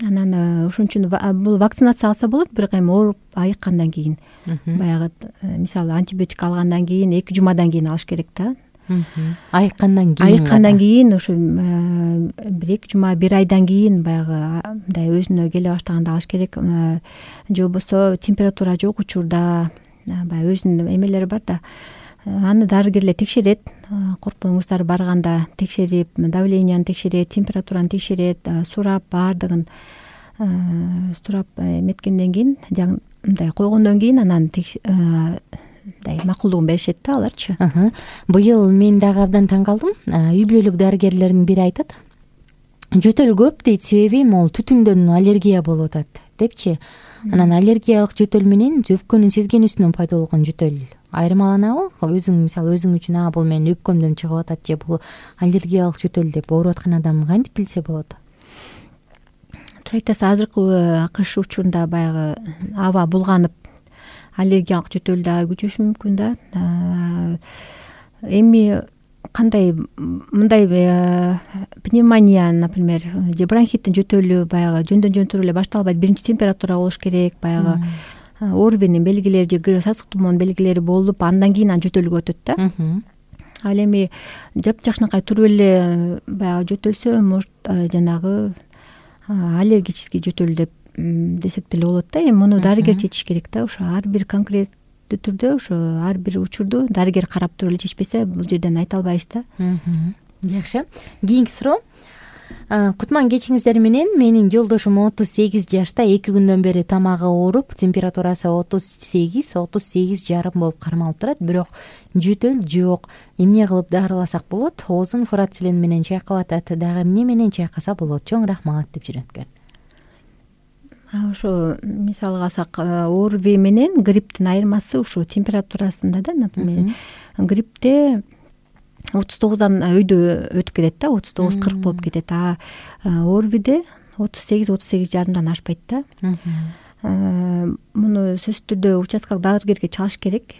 Анан ошон үчүн бул вакцинация алса болот, бирок эми ооруп айыккандан кийин, баягы мисалы антибиотик алгандан кийин 2 жумадан кийин алыш керек да. Айыккандан кийин ошо бир 2 жума, 1 айдан кийин баягы мындай өзүнө келе баштаганда алыш керек. Же болбосо температура жок учурда баягы өзүнүн эмелери бар да. Аны дарыгерлер текшерет. Коркпоңуздар, барганда текшерип, давленияны текшерет, температураны текшерет, сурап, баардыгын сурап эметкенден кийин, мындай койгондон кийин анан мындай макулдугун беришет да аларчы. Быйыл мен дагы абдан таң калдым. Үй бүлөлүк дарыгерлердин бири айтат, жөтөл көп дейт, себеби могул түтүндөн аллергия болуп атат депчи. Анан аллергиялык жөтөл менен өпкөнүн сезгенүүсүнөн пайда болгон жөтөл айырмаланабы? Өзүң мисалы өзүң үчүн бул менин өпкөмдөн чыгып атат же бул аллергиялык жөтөл деп ооруп аткан адам кантип билсе болот? Туура айтасыз, азыркы кыш учурунда баягы аба булганып аллергиялык жөтөл да күчөшү мүмкүн да. Эми кандай мындай пневмония, например, же бронхиттин жөтөлү баягы жөндөн туруп эле башталбайт. Биринчи температура болуш керек, баягы ОРВИнин белгилери же сасык тумоонун белгилери болуп, андан кийин жөтөлгө өтөт да. Ал эми жапжакшынакай туруп эле баягы жөтөлсө, может жанагы аллергический жөтөл деп десек деле болот да. Эми муну дарыгер чечиш керек да. Ошо ар бир конкреттүү түрдө, ошо ар бир учурду дарыгер карап туруп эле чечпесе, бул жерден айта албайбыз да. Жакшы. Кийинки суроо. Кутман кечиңиздер менен, менин жолдошум 38 жашта, 2 күндөн бери тамагы ооруп, температурасы 38,5 болуп кармалып турат, бирок жөтөл жок. Эмне кылып дарыласак болот? Оозун фурацилин менен чайкап атат. Дагы эмне менен чайкаса болот? Чоң рахмат деп жүрөткөн. Ошо мисалга алсак, ОРВИ менен грипптин айырмасы ушу температурасында да. Например, гриппте 39дан өйдө өтүп кетет да, 39-40 болуп кетет. ОРВИде 38-38,5 ашпайт да. Муну сөзсүз түрдө участкалык дарыгерге чалыш керек.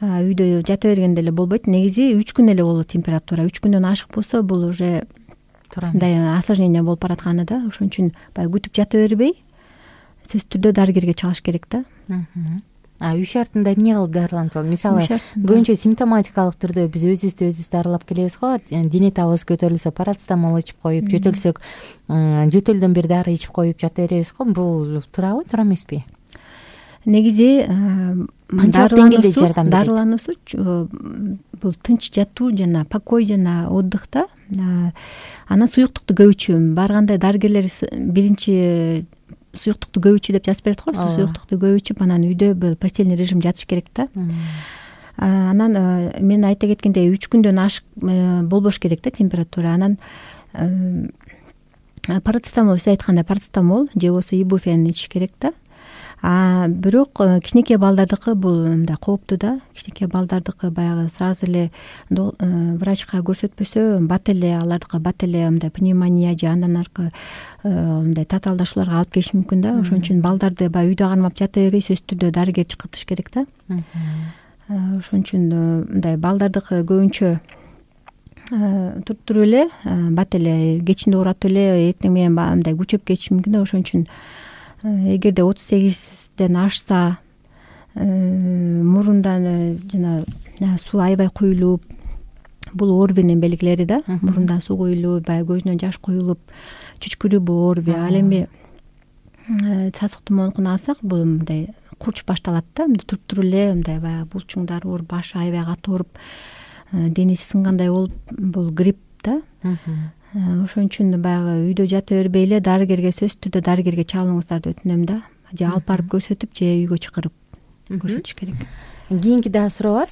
Үйдө жата бергенде эле болбойт. Негизи 3 күн эле болот температура. 3 күндөн ашык болсо, бул уже мындай осложнение болуп баратканы да. Ошон үчүн баягы күтүп жата бербей, сөзсүз түрдө дарыгерге чалыш керек да. Үй шартында эмне кылып дарыланса болот? Мисалы, көбүнчө симптоматикалык түрдө биз өзүбүздү дарылап келебиз го. Дене табыбыз көтөрүлсө, парацетамол ичип коюп, жөтөлсөк, жөтөлдөн бир дары ичип коюп жата беребиз го. Бул туурабы, туура эмеспи? Негизи дарылануусу бул тынч жатуу жана покой жана отдых да. Анан суюктукту көбүчү. Барганда дарыгерлер биринчи суюктукту көбүчү деп жазып берет го. Суюктукту көбүчүп, анан үйдө бул постельный режим жатыш керек да. Анан мен айта кеткендей 3 күндөн ашык болбош керек да температура. Анан парацетамол, сиз айткандай парацетамол же болбосо ибуфен ичиш керек да. Бирок кичинекей балдардыкы бул мындай кооптуу да. Кичинекей балдардыкы баягы сразу эле врачка көрсөтпөсө, бат эле алардыкы бат эле мындай пневмония же андан аркы мындай татаалдашууларга алып келиши мүмкүн да. Ошон үчүн балдарды баягы үйдө кармап жата бербей, сөзсүз түрдө дарыгер чакыртыш керек да. Ошон үчүн мындай балдардыкы көбүнчө туруп эле бат эле кечинде уурап эле эртең менен мындай күчөп кетиши мүмкүн да. Ошон үчүн эгерде 38ден ашса, мурундан жана суу аябай куюлуп, бул ОРВИнин белгилери да. Мурундан суу куюлуп, баягы көзүнөн жаш куюлуп, чүчкүрүү бул ОРВИ. Ал эми сасык тумоонукун алсак, бул мындай курч башталат да. Туруп эле мындай баягы булчуңдар ооруп, башы аябай катуу ооруп, денеси сынгандай болуп, бул грипп да. Ошон үчүн баягы үйдө жата бербей эле дарыгерге, сөзсүз түрдө дарыгерге чалыңыздарды өтүнөм да. Же алып барып көрсөтүп, же үйгө чакырып көрсөтүш керек. Кийинки дагы суроо бар.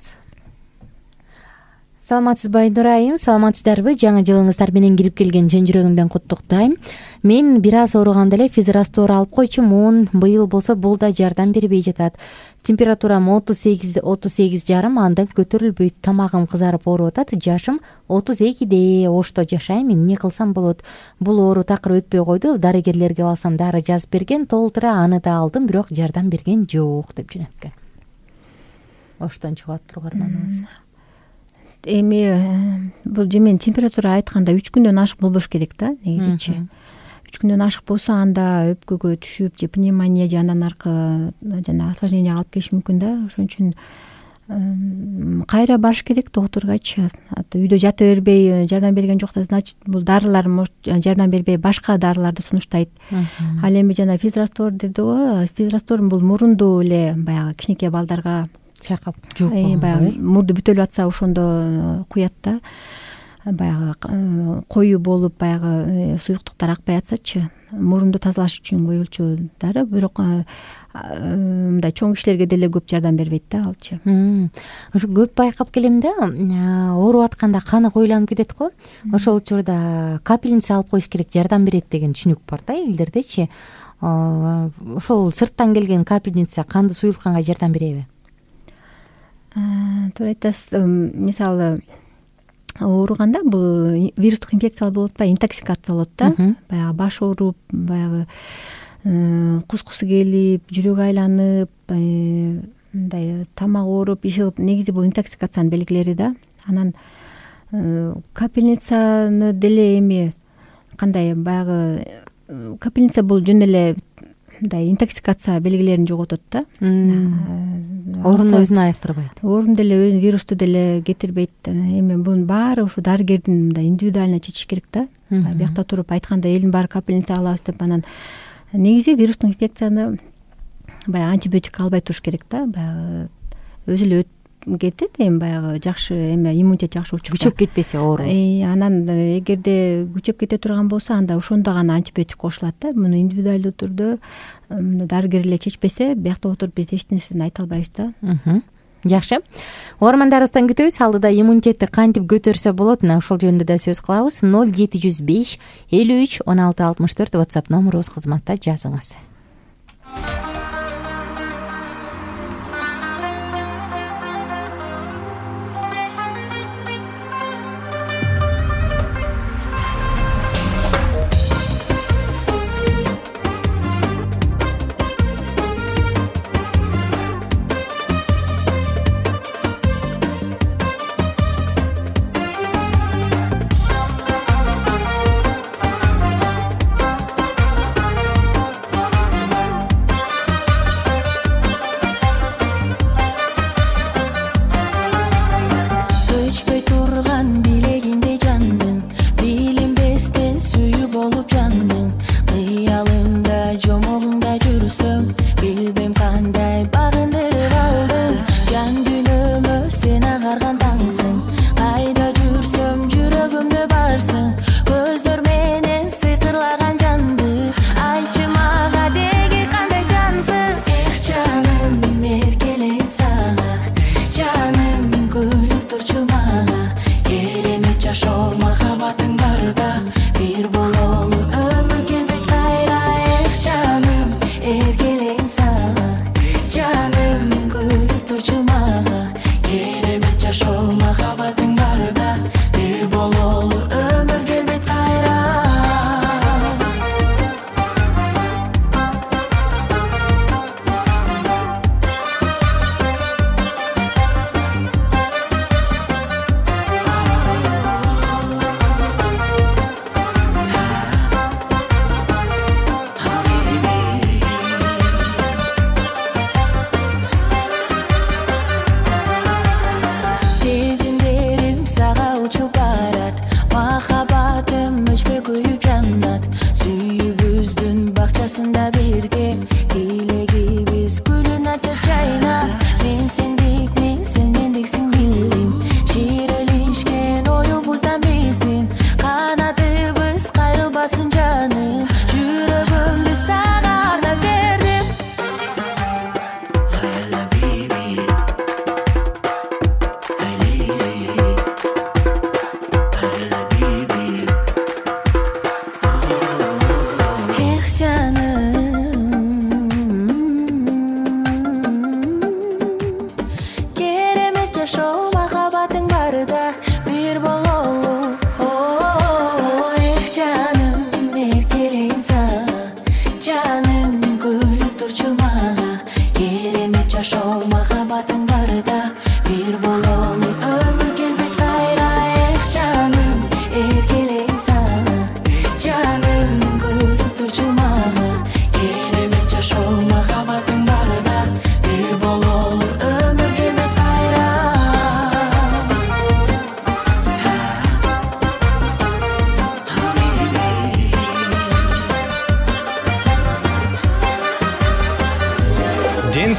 Саламатсызбы Айнура айым, саламатсыздарбы? Жаңы жылыңыздар менен кирип келген чын жүрөгүмдөн куттуктайм. Мен бир аз ооруганда эле физраствор алып койчумун. Быйыл болсо бул да жардам бербей жатат. температурам 38,5, андан көтөрүлбөйт, тамагым кызарып ооруп атат, жашым 32де, ошто жашайм, эмне кылсам болот? Бул оору такыр өтпөй койду, дарыгерлерге барсам дары жазып берген, толтура аны да алдым, бирок жардам берген жок деп жөнөткөн. Оштон чыгып атып угарманыбыз. Эми бул жемен температура айтканда 3 күндөн ашык болбош керек да, негизичи. 3 күндөн ашык болсо анда өпкөгө түшүп, же пневмония, же андан аркы жана осложнение алып келиши мүмкүн да. Ошон үчүн кайра барыш керек доктургачы. Үйдө жата бербей жардам берген жокта, значит бул дарылар жардам бербей башка дарыларды сунуштайт. Ал эми жана физраствор деди го, физраствор бул мурунду эле баягы кичинекей балдарга чайкап жууп баягы мурду бүтөлүп атса ошондо куят да. Баягы коюу болуп, баягы суюктуктар акпай атсачы, мурунду тазалаш үчүн коюлчу дары, бирок мындай чоң кишилерге деле көп жардам бербейт да алчы. Ошо көп байкап келем да, ооруп атканда каны коюланып кетет го. Ошол учурда капельница алып коюш керек, жардам берет деген түшүнүк бар да элдердечи. Ошол сырттан келген капельница канды суюлтканга жардам береби? Туура айтасыз. Мисалы ооруганда бул вирустук инфекциялар болуп атпайбы, интоксикация болот да. Баягы баш ооруп, баягы кускусу келип, жүрөгү айланып, мындай тамак ооруп, иш кылып, негизи бул интоксикациянын белгилери да. Анан капельницаны деле эми кандай, баягы капельница бул жөн эле мындай интоксикация белгилерин жоготот да. Оорууну өзүнө айыктырбайт. Оорун деле вирусту деле кетирбейт. Эми бунун баары ушу дарыгердин мындай индивидуально чечиш керек да. Биякта туруп айтканда элдин баары капельница алабыз деп, анан негизи вирустук инфекцияны баягы антибиотик албай туруш керек да. Баягы өзү эле кетет, эми баягы жакшы эме иммунитет жакшы болчу. Күчөп кетпесе оору. Анан эгерде күчөп кете турган болсо, анда ошондо гана антибиотик кошулат да. Муну индивидуалдуу түрдө дарыгер эле чечпесе, биякта отуруп биз эч нерсени айта албайбыз да. Жакшы. Угармандарыбыздан күтөбүз. Алдыда иммунитетти кантип көтөрсө болот, мына ошол жөнүндө да сөз кылабыз. 0705 53 16 64 WhatsApp номерубуз, кызматта жазыңыз.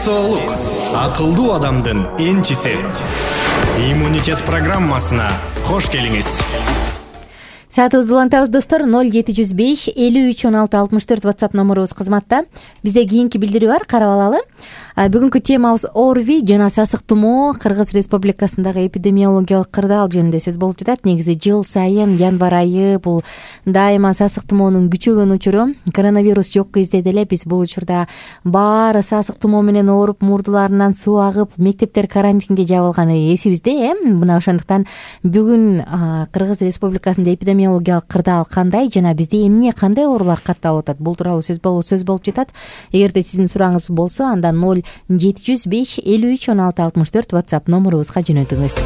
соолук акылдуу адамдын энчиси. Иммунитет программасына кош келиңиз. Саатыбызды улантабыз достор. 0705 53 16 64 WhatsApp номерубуз кызматта. Бизде кийинки билдирүү бар, карап алалы. Бүгүнкү темабыз ОРВИ жана сасык тумоо Кыргыз Республикасындагы эпидемиологиялык кырдаал жөнүндө сөз болуп жатат. Негизи жыл сайын январь айы бул дайыма сасык тумоонун күчөгөн учуру. Коронавирус жок кезде деле биз бул учурда баары сасык тумоо менен ооруп, мурдуларынан суу агып, мектептер карантинге жабылганы эсибизде. Мына ошондуктан бүгүн Кыргыз Республикасында эпидемиологиялык кырдаал кандай жана бизде эмне кандай оорулар катталып атат, бул тууралуу сөз болуп жатат. Эгерде сиздин сурооңуз болсо, анда 0705 53 16 64 WhatsApp номерубузга жөнөтүңүз.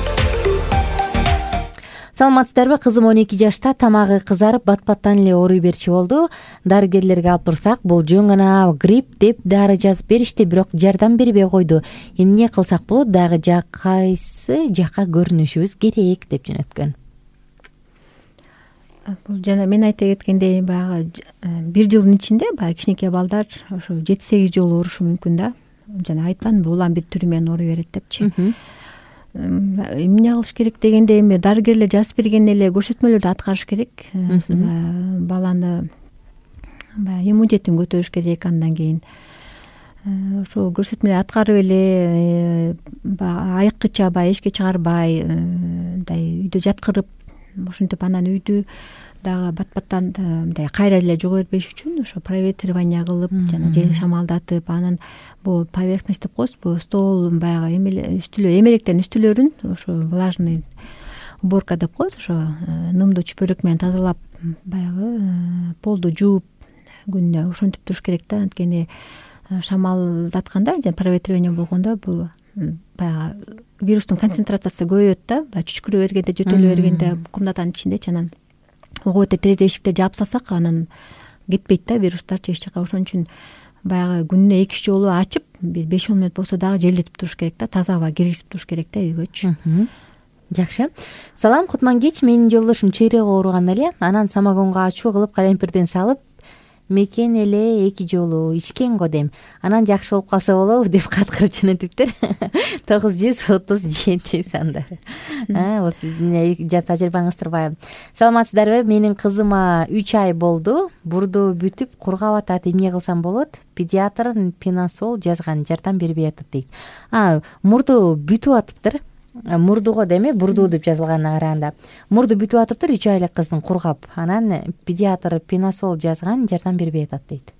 Саламатсыздарбы? Кызым 12 жашта, тамагы кызарып, бат-баттан эле ооруй берчи болду. Дарыгерлерге алып барсак, бул жөн гана грипп деп дары жазып беришти, бирок жардам бербей койду. Эмне кылсак болот? Дагы кайсы жакка көрүнүшүбүз керек деп жөнөткөн. Бул жана мен айта кеткендей, баягы бир жылдын ичинде баягы кичинекей балдар ошо 7-8 жолу оорушу мүмкүн да. Жана айтпадымбы, улам бир түрү менен ооруй берет депчи. Эмне кылыш керек дегенде, эми дарыгерлер жазып берген эле көрсөтмөлөрдү аткарыш керек. Баланы баягы иммунитетин көтөрүш керек. Андан кийин ошо көрсөтмөлөрдү аткарып эле айыккыча баягы эшикке чыгарбай, мындай үйдө жаткырып, ошентип анан үйдү дагы бат-баттан мындай кайра эле жого бербеш үчүн ошо проветривание кылып жана жел шамалдатып, анан бул поверхность деп коебуз, бул стол баягы эмелектердин үстүлөрүн ошо влажный уборка деп коебуз, ошо нымдуу чүпөрөк менен тазалап, баягы полду жууп күнүнө ошентип туруш керек да. Анткени шамалдатканда жана проветривание болгондо бул баягы вирустун концентрациясы көбөйөт да. Баягы чүчкүрө бергенде, жөтөлө бергенде комнатанын ичиндечи, анан ого бетер терезе эшиктерди жаап салсак, анан кетпейт да вирустарчы эч жака. Ошон үчүн баягы күнүнө 2 жолу ачып, бир 5-10 мүнөт болсо дагы желдетип туруш керек да, таза аба киргизип туруш керек да үйгөчү. Жакшы. Салам, кутман кеч. Менин жолдошум чыйрыгы ооруган эле. Анан самогонго ачуу кылып калемпирден салып, мекен эле 2 жолу ичкен го дейм. Анан жакшы болуп калса болобу деп каткырып жөнөтүптүр. 937 сандары. Сиздин тажрыйбаңыз турбайбы? Саламатсыздарбы? Менин кызыма 3 ай болду. Бурду бүтүп кургап атат. Эмне кылсам болот? Педиатр пенасол жазган, жардам бербей атат дейт. Мурду бүтүп атыптыр. Мурдуго деме, бурду деп жазылганына караганда. Мурду бүтүп атыптыр 3 айлык кыздын кургап. Анан педиатр пенасол жазган, жардам бербей атат дейт.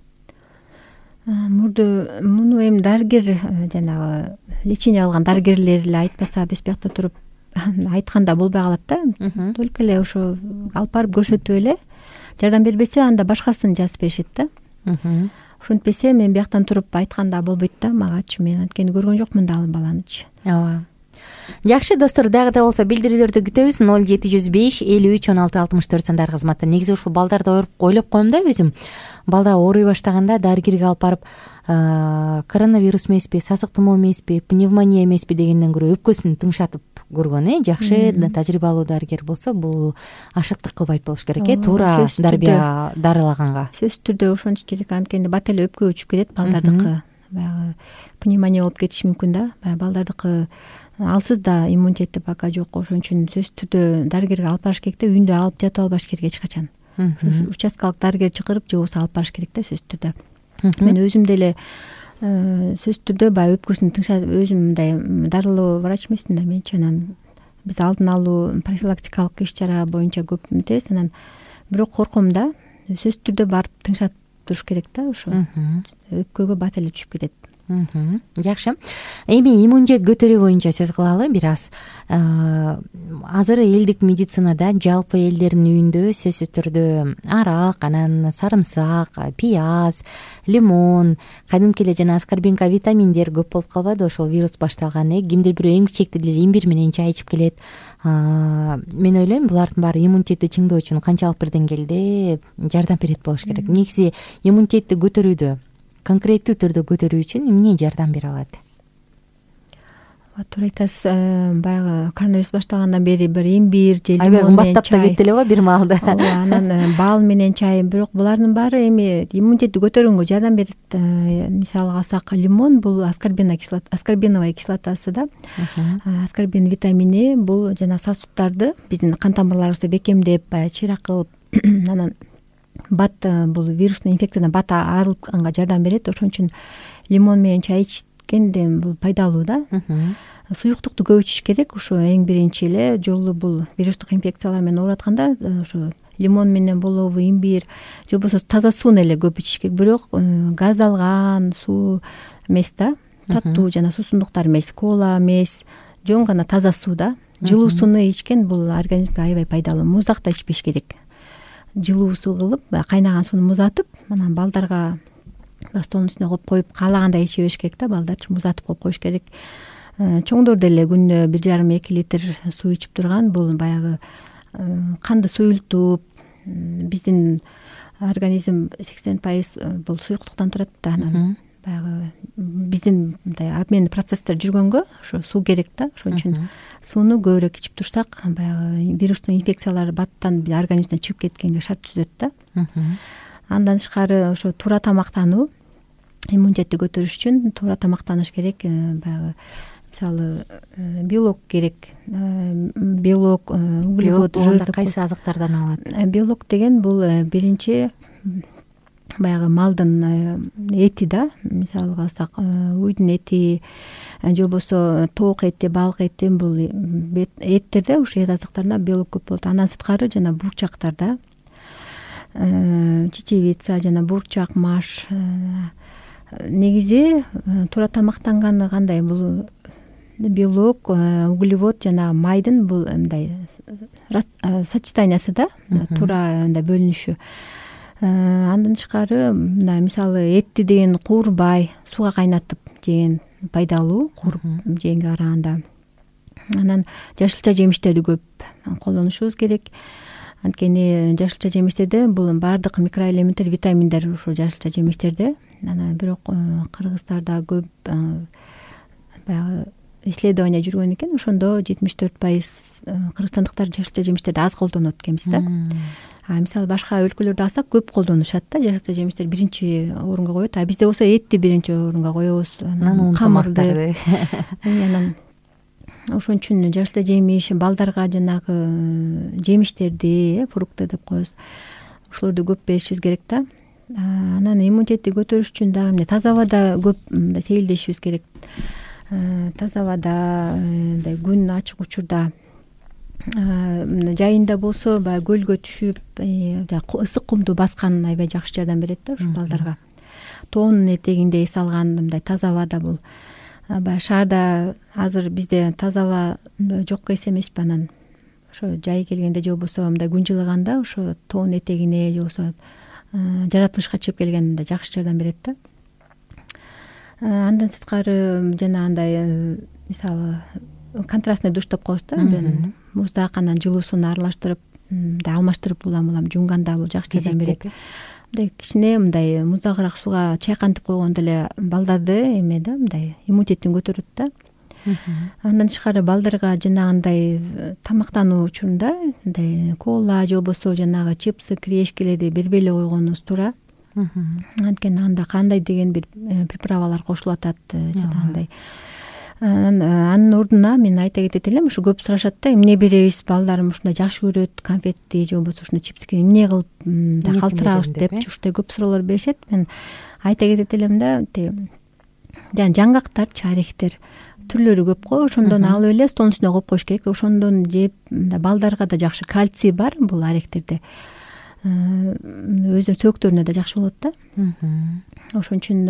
Муну эми дарыгер, жанагы лечение алган дарыгерлер эле айтпаса, биз биякта туруп айтканда болбой калат да. Только эле ошо алып барып көрсөтүп эле жардам бербесе, анда башкасын жазып беришет да. Ошентпесе мен бияктан туруп айтканда болбойт да магачы. Мен анткени көргөн жокмун да ал баланычы. Ооба. Жакшы достор, дагы да болсо билдирүүлөрдү күтөбүз. 0705 53 16 64 сандар кызматта. Негизи ушул балдарды ойлоп коем да өзүм. Балда ооруй баштаганда дарыгерге алып барып, коронавирус эмеспи, сасык тумоо эмеспи, пневмония эмеспи дегенден көрө өпкөсүн тыңшатып көргөн. Жакшы тажрыйбалуу дарыгер болсо, бул ашыктык кылбайт болуш керек. Туура дарылаганга. Сөзсүз түрдө ошонуш керек. Анткени бат эле өпкө өчүп кетет балдардыкы. Баягы пневмония болуп кетиши мүмкүн да. Баягы балдардыкы алсыз да иммунитети пока жок. Ошон үчүн сөзсүз түрдө дарыгерге алып барыш керек да. Үйүндө алып жатып албаш керек эч качан. Участкалык дарыгер чакырып же болбосо алып барыш керек да сөзсүз түрдө. Мен өзүм деле сөзсүз түрдө баягы өпкөсүн тыңшатып, өзүм мындай дарылоо врач эмесмин да менчи. Анан биз алдын алуу профилактикалык иш-чара боюнча көп эмтебиз. Анан бирок корком да. Сөзсүз түрдө барып тыңшатып туруш керек да. Ошо өпкөгө бат эле түшүп кетет. Жакшы. Эми иммунитет көтөрүү боюнча сөз кылалы бир аз. Азыр элдик медицинада жалпы элдердин үйүндө сөзсүз түрдө арак, анан сарымсак, пияз, лимон, кадимки эле жана аскорбинка витаминдер көп болуп калбады ошол вирус башталган. Кимдир бирөө эң кичекти деле имбир менен чай ичип келет. Мен ойлойм, булардын баары иммунитетти чыңдоо үчүн канчалык бир деңгээлде жардам берет болуш керек. Негизи иммунитетти көтөрүүдө, конкреттүү түрдө көтөрүү үчүн эмне жардам бере алат? туура айтасыз. Баягы коронавирус башталгандан бери бир имбир же аябай лимон менен кымбаттап да кетти эле го бир маалда. Анан бал менен чай. Бирок булардын баары эми иммунитетти көтөргөнгө жардам берет. Мисалга алсак, лимон бул аскорбиновая кислотасы да. Аскорбин витамини бул жана сосудтарды, биздин кан тамырларыбызды бекемдеп, баягы чыйрак кылып, анан бат бул вирустный инфекциядан бат арылганга жардам берет. Ошон үчүн лимон менен чай ичкенде бул пайдалуу да. Суюктукту көп ичиш керек. Ошо эң биринчи эле жолу бул вирустук инфекциялар менен ооратканда ошо лимон менен болобу, имбир же болбосо таза сууну эле көп ичиш керек. Бирок газдалган суу эмес да, таттуу жана суусундуктар эмес, кола эмес, жөн гана таза суу да. Жылуу сууну ичкен бул организмге аябай пайдалуу. Муздак да ичпеш керек. Жылуу суу кылып, кайнаган сууну муздатып, анан балдарга столдун үстүнө коюп каалагандай иче бериш керек да. Балдарчы муздатып коюп коюш керек. Чоңдор деле күнүнө 1,5-2 литр суу ичип турган. Бул баягы канды суюлтуп, биздин организм 80% бул суюктуктан турат да. Анан баягы биздин мындай обмен процесстер жүргөнгө ошо суу керек да. Ошон үчүн сууну көбүрөөк ичип турсак, баягы вирустный инфекциялар баттан организмден чыгып кеткенге шарт түзөт да. Андан тышкары ошо туура тамактануу, иммунитетти көтөрүш үчүн туура тамактаныш керек. Баягы мисалы белок керек. Белок, углевод, жир кайсы азыктардан алат? Белок деген бул биринчи баягы малдын эти да. Мисалга алсак, уйдун эти же болбосо тоок эти, балык эти, бул эттерде, ушу эт азыктарында белок көп болот. Андан сырткары жана бурчактарда чечевица жана бурчак, маш. Негизи туура тамактанганы кандай? Бул белок, углевод жана майдын бул мындай сочетаниясы да, туура мындай бөлүнүшү. Андан тышкары мына мисалы этти деген куурбай, сууга кайнатып жеген пайдалуу, кууруп жегенге караганда. Анан жашылча жемиштерди көп колдонушубуз керек. Анткени жашылча жемиштерде бул баардык микроэлементтер, витаминдер ушул жашылча жемиштерде. Анан бирок кыргыздарда көп баягы исследование жүргөн экен. Ошондо 74% кыргызстандыктар жашылча жемиштерди аз колдонот экенбиз да. Мисалы башка өлкөлөрдө алсак көп колдонушат да. Жашылча жемиштер биринчи орунга коет. Бизде болсо этти биринчи орунга коебуз. Анан камырды. Анан ошон үчүн жашылча жемиш, балдарга жанагы жемиштерди, фрукты деп коебуз. Ошолорду көп беришибиз керек да. Анан иммунитетти көтөрүш үчүн дагы эмне таза абада көп сейилдешибиз керек. Таза абада, мындай күн ачык учурда, жайында болсо баягы көлгө түшүп, ысык кумду баскан аябай жакшы жардам берет да ушу балдарга. Тоонун этегинде эс алган мындай таза абада бул. Баягы шаарда азыр бизде таза аба жокко эс эмеспи. Анан ошо жай келгенде же болбосо мындай күн жылыганда ошо тоон этегине же болбосо жаратылышка чыгып келгенде жакшы жардам берет да. Андан сырткары жана андай мисалы контрастный душ деп коебуз да. Муздак анан жылуу сууну аралаштырып, алмаштырып улам жууганда бул жакшы жардам берет. Мындай кичине мындай муздагыраак сууга чайкантып койгондо эле балдарды эме да, мындай иммунитетин көтөрөт да. Андан тышкары балдарга жанагындай тамактануу учурунда мындай кола же болбосо жанагы чипсы, кирешкелерди бербей эле койгонубуз туура. Анткени анда кандай деген бир приправалар кошулуп атат жанагындай. Анын ордуна мен айта кетет элем, ушу көп сурашат да, эмне беребиз, балдарым ушундай жакшы көрөт, конфетти же болбосо ушундай чипсти эмне кылып калтырабыз депчи ушундай көп суроолор беришет. Мен айта кетет элем да, жана жаңгактарчы, орехтер түрлөрү көп го. Ошондон алып эле столдун үстүнө коюп коюш керек. Ошондон жеп балдарга да жакшы, кальций бар бул орехтерде. Өзүнүн сөктөрүнө да жакшы болот да. Ошон үчүн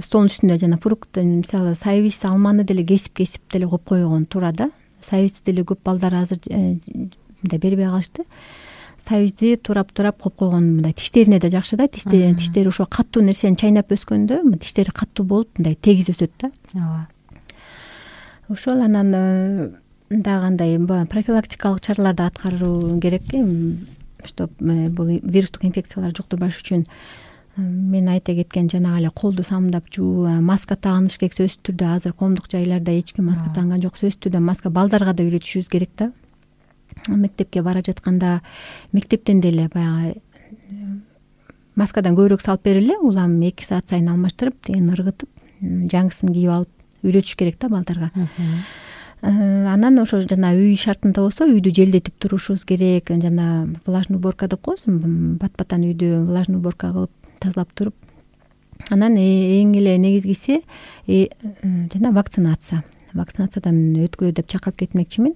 столдун үстүнө жана фрукт, мисалы сайвис, алманы деле кесип деле коюп койгон туура да. Сайвисти деле көп балдар азыр мындай бербей калышты. Сайвисти турап коюп койгон мындай тиштерине да жакшы да. Тиштери ошо каттуу нерсени чайнап өскөндө тиштери каттуу болуп мындай тегиз өсөт да. Ооба. Ошол анан дагы андай профилактикалык чараларды аткаруу керек. Чтоб бул вирустук инфекциялар жуктурбаш үчүн мен айта кеткен жанагы эле колду самдап жуу, маска тагыныш керек. Сөзсүз түрдө азыр коомдук жайларда эч ким маска тагынган жок. Сөзсүз түрдө маска балдарга да үйрөтүшүбүз керек да. Мектепке бара жатканда мектептен деле баягы маскадан көбүрөөк салып берели, улам 2 саат сайын алмаштырып, тегин ыргытып, жаңысын кийип алып үйрөтүш керек да балдарга. Анан ошо жана үй шартында болсо үйдү желдетип турушубуз керек. Жана влажный уборка деп коебуз, бат-баттан үйдү влажный уборка кылып тазалап туруп, анан эң эле негизгиси жана вакцинациядан өткүлө деп чакырып кетмекчимин.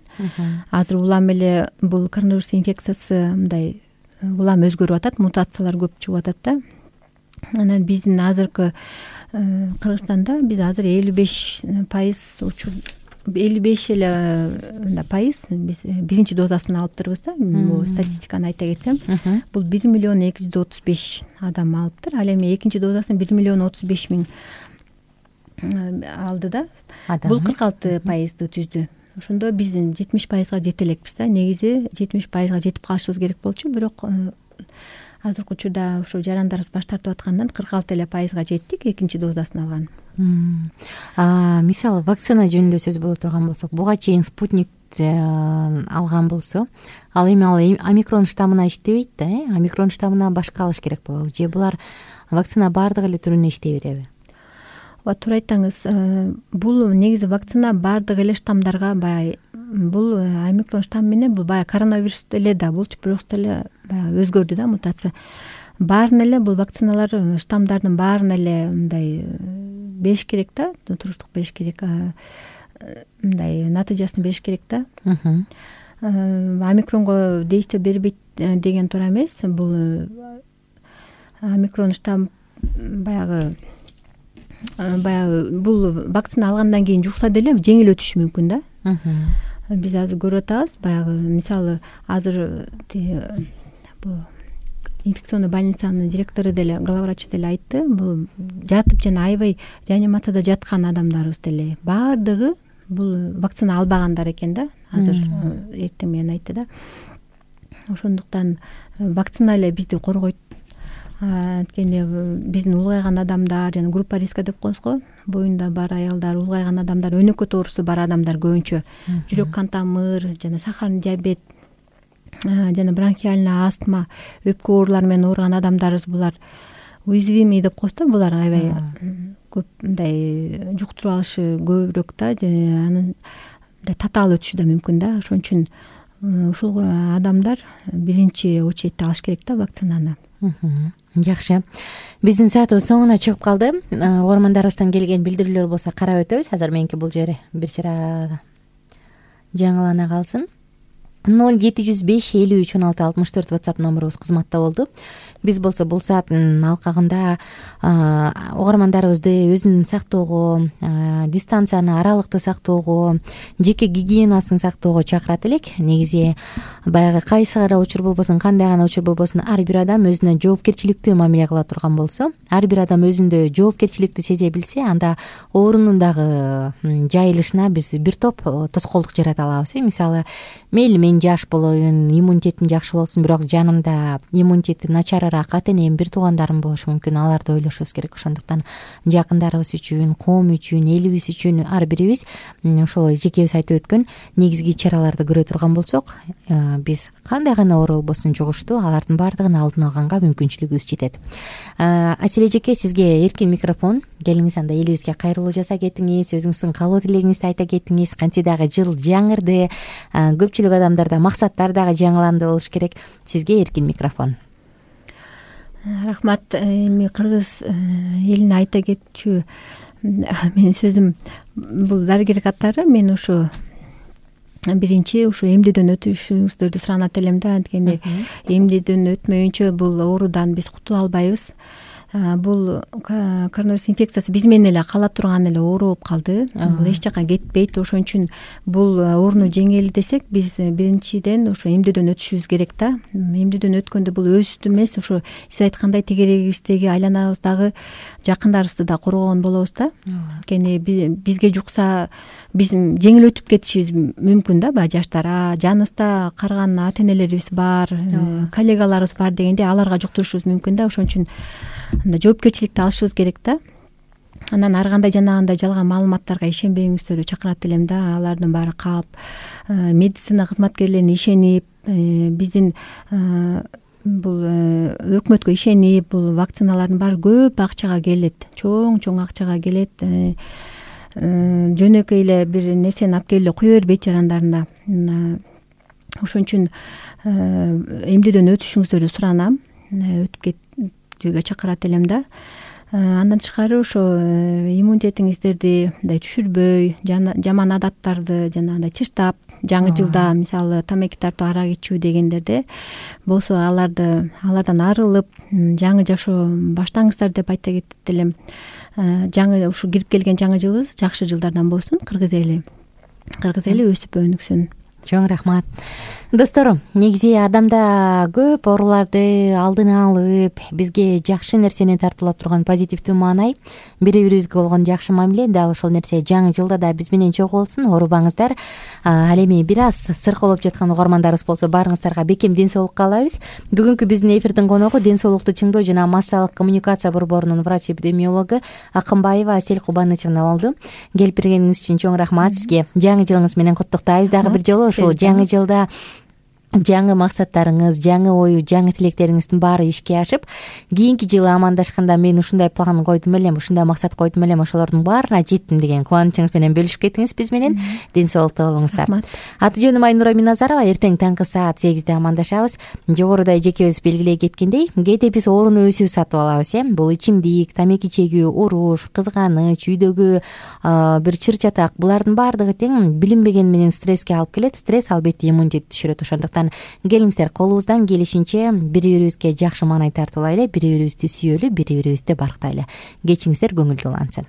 Азыр улам эле бул коронавирус инфекциясы мындай улам өзгөрүп атат, мутациялар көп чыгып атат да. Анан биздин азыркы Кыргызстанда биз азыр 55 эле пайыз биз биринчи дозасын алыптырбыз да. Бул статистиканы айта кетсем, бул 1.235.000 адам алыптыр. Ал эми экинчи дозасын 1.035.000 алды да. Бул 46% түздү. Ошондо биздин 70%га жете элекпиз да. Негизи 70%га жетип калышыбыз керек болчу, бирок азыркы учурда ошо жарандарыбыз баш тартып аткандан 46% жеттик экинчи дозасын алган. Мисалы вакцина жөнүндө сөз боло турган болсок, буга чейин спутникти алган болсо, ал эми омикрон штаммына иштебейт да, омикрон штаммына башка алыш керек болобу же булар вакцина баардык эле түрүнө иштей береби? Ооба, туура айттыңыз. Бул негизи вакцина баардык эле штаммдарга баягы бул омикрон штамм менен бул баягы коронавирус эле да болчу, бирок деле баягы өзгөрдү да, мутация. Баарын эле бул вакциналар штаммдардын баарын эле мындай бериш керек да, туруштук бериш керек, мындай натыйжасын бериш керек да. Омикронго действие бербейт деген туура эмес. Бул омикрон штамм баягы бул вакцина алгандан кийин жукса деле жеңил өтүшү мүмкүн да. Биз азыр көрүп атабыз, баягы мисалы азыр бул инфекционный больницанын директору деле, главврачы деле айтты, бул жатып жана аябай реанимацияда жаткан адамдарыбыз деле баардыгы бул вакцина албагандар экен да. Азыр эртең менен айтты да. Ошондуктан вакцина эле бизди коргойт. Анткени биздин улгайган адамдар, жана группа риска деп коебуз го, боюнда бар аялдар, улгайган адамдар, өнөкөт оорусу бар адамдар көбүнчө жүрөк кан тамыр жана сахарный диабет жана бронхиальный астма, өпкө оорулары менен ооруган адамдарыбыз булар уязвимый деп коебуз да. Булар аябай көп мындай жуктуруп алышы көбүрөөк да, анын татаал өтүшү да мүмкүн да. Ошон үчүн ушул адамдар биринчи очередте алыш керек да вакцинаны. Жакшы. Биздин саатыбыз соңуна чыгып калды. Угармандарыбыздан келген билдирүүлөр болсо карап өтөбүз. Азыр меники бул жери бир сыйра жаңылана калсын. 0705-53-16-64 WhatsApp номерубуз кызматта болду. Биз болсо бул сааттын алкагында угармандарыбызды өзүн сактоого, дистанцияны, аралыкты сактоого, жеке гигиенасын сактоого чакырат элек. Негизи баягы кайсы гана учур болбосун, кандай гана учур болбосун, ар бир адам өзүнө жоопкерчиликтүү мамиле кыла турган болсо, ар бир адам өзүндө жоопкерчиликти сезе билсе, анда оорунун дагы жайылышына биз бир топ тоскоолдук жарата алабыз. Мисалы, мейли мен жаш болоюн, иммунитетим жакшы болсун, бирок жанымда иммунитети начар ата-энем, бир туугандарым болушу мүмкүн. Аларды ойлошубуз керек. Ошондуктан жакындарыбыз үчүн, коом үчүн, элибиз үчүн ар бирибиз ошол жекебиз айтып өткөн негизги чараларды көрө турган болсок, биз кандай гана оору болбосун жугуштуу, алардын баардыгын алдын алганга мүмкүнчүлүгүбүз жетет. Аселе эжеке, сизге эркин микрофон. Келиңиз, анда элибизге кайрылуу жаса кетиңиз, өзүңүздүн каалоо тилегиңизди айта кетиңиз. Кантсе дагы жыл жаңырды, көпчүлүк адамдарда максаттар дагы жаңыланды болуш керек. Сизге эркин микрофон. Рахмат. Эми кыргыз элине айта кетчү менин сөзүм бул дарыгер катары мен ушу биринчи ушу эмдөөдөн өтүшүңүздөрдү суранат элем да. Анткени эмдөөдөн өтмөйүнчө бул оорудан биз кутула албайбыз. Бул коронавирус инфекциясы биз менен эле кала турган эле оору болуп калды. Бул эч жака кетпейт. Ошон үчүн бул ооруну жеңели десек, биз биринчиден ошо эмдөөдөн өтүшүбүз керек да. Эмдөөдөн өткөндө бул өзүбүздү эмес, ошо сиз айткандай тегерегибиздеги айланабыздагы жакындарыбызды да коргогон болобуз да. Анткени бизге жукса биз жеңил өтүп кетишибиз мүмкүн да. Баягы жаштар, жаныбызда карыган ата-энелерибиз бар, коллегаларыбыз бар дегенде аларга жуктурушубуз мүмкүн да. Ошон үчүн мындай жоопкерчиликти алышыбыз керек да. Анан ар кандай жанагындай жалган маалыматтарга ишенбеңиздер, чакырат элем да. Алардын баары калп. Медицина кызматкерлерине ишенип, биздин бул өкмөткө ишенип, бул вакциналардын баары көп акчага келет, чоң акчага келет. Жөнөкөй эле бир нерсени алып келип эле кое бербейт жарандарына. Ошон үчүн эмдөөдөн өтүшүңүздөрдү суранам. Өтүп кетүүгө чакырат элем да. Андан тышкары ошо иммунитетиңиздерди мындай түшүрбөй, жаман адаттарды жанагындай тыштап, жаңы жылда мисалы тамеки тартуу, арак ичүү дегендерде болсо алардан арылып жаңы жашоо баштаңыздар деп айта кетет элем. Жаңы ушу кирип келген жаңы жылыбыз жакшы жылдардан болсун. Кыргыз эли өсүп өнүксүн. Чоң рахмат. Достор, негизи адамда көп ооруларды алдын алып, бизге жакшы нерсени тартуулап турган позитивдүү маанай, бири-бирибизге болгон жакшы мамиле, дал ошол нерсе жаңы жылда да биз менен чогуу болсун. Оорубаңыздар. Ал эми бир аз сырколоп жаткан угармандарыбыз болсо, баарыңыздарга бекем ден соолук каалайбыз. Бүгүнкү биздин эфирдин коногу ден соолукту чыңдоо жана массалык коммуникация борборунун врач-эпидемиологу Акынбаева Асель Кубанычевна болду. Келип бергениңиз үчүн чоң рахмат сизге. Жаңы жылыңыз менен куттуктайбыз дагы бир жолу. Ушул жаңы жылда жаңы максаттарыңыз, жаңы ою, жаңы тилектериңиздин баары ишке ашып, кийинки жылы амандашканда мен ушундай план койдум элем, ушундай максат койдум элем, ошолордун баарына жеттим деген кубанычыңыз менен бөлүшүп кетиңиз биз менен. Ден соолукта болуңуздар. Аты жөнүм Айнура Миназарова. Эртең таңкы саат 8-де амандашабыз. Жогоруда эжекебиз белгилей кеткендей, кээде биз ооруну өзүбүз сатып алабыз, бул ичимдик, тамеки чегүү, уруш, кызганыч, үйдөгү бир чыр чатак, булардын баардыгы тең билинбеген менен стресске алып келет. Стресс албетте иммунитетти түшүрөт. Ошондуктан келиңиздер, колубуздан келишинче бири-бирибизге жакшы маанай тартуулайлы, бири-бирибизди сүйөлү, бири-бирибизди барктайлы. Кечиңиздер көңүлдүү улансын.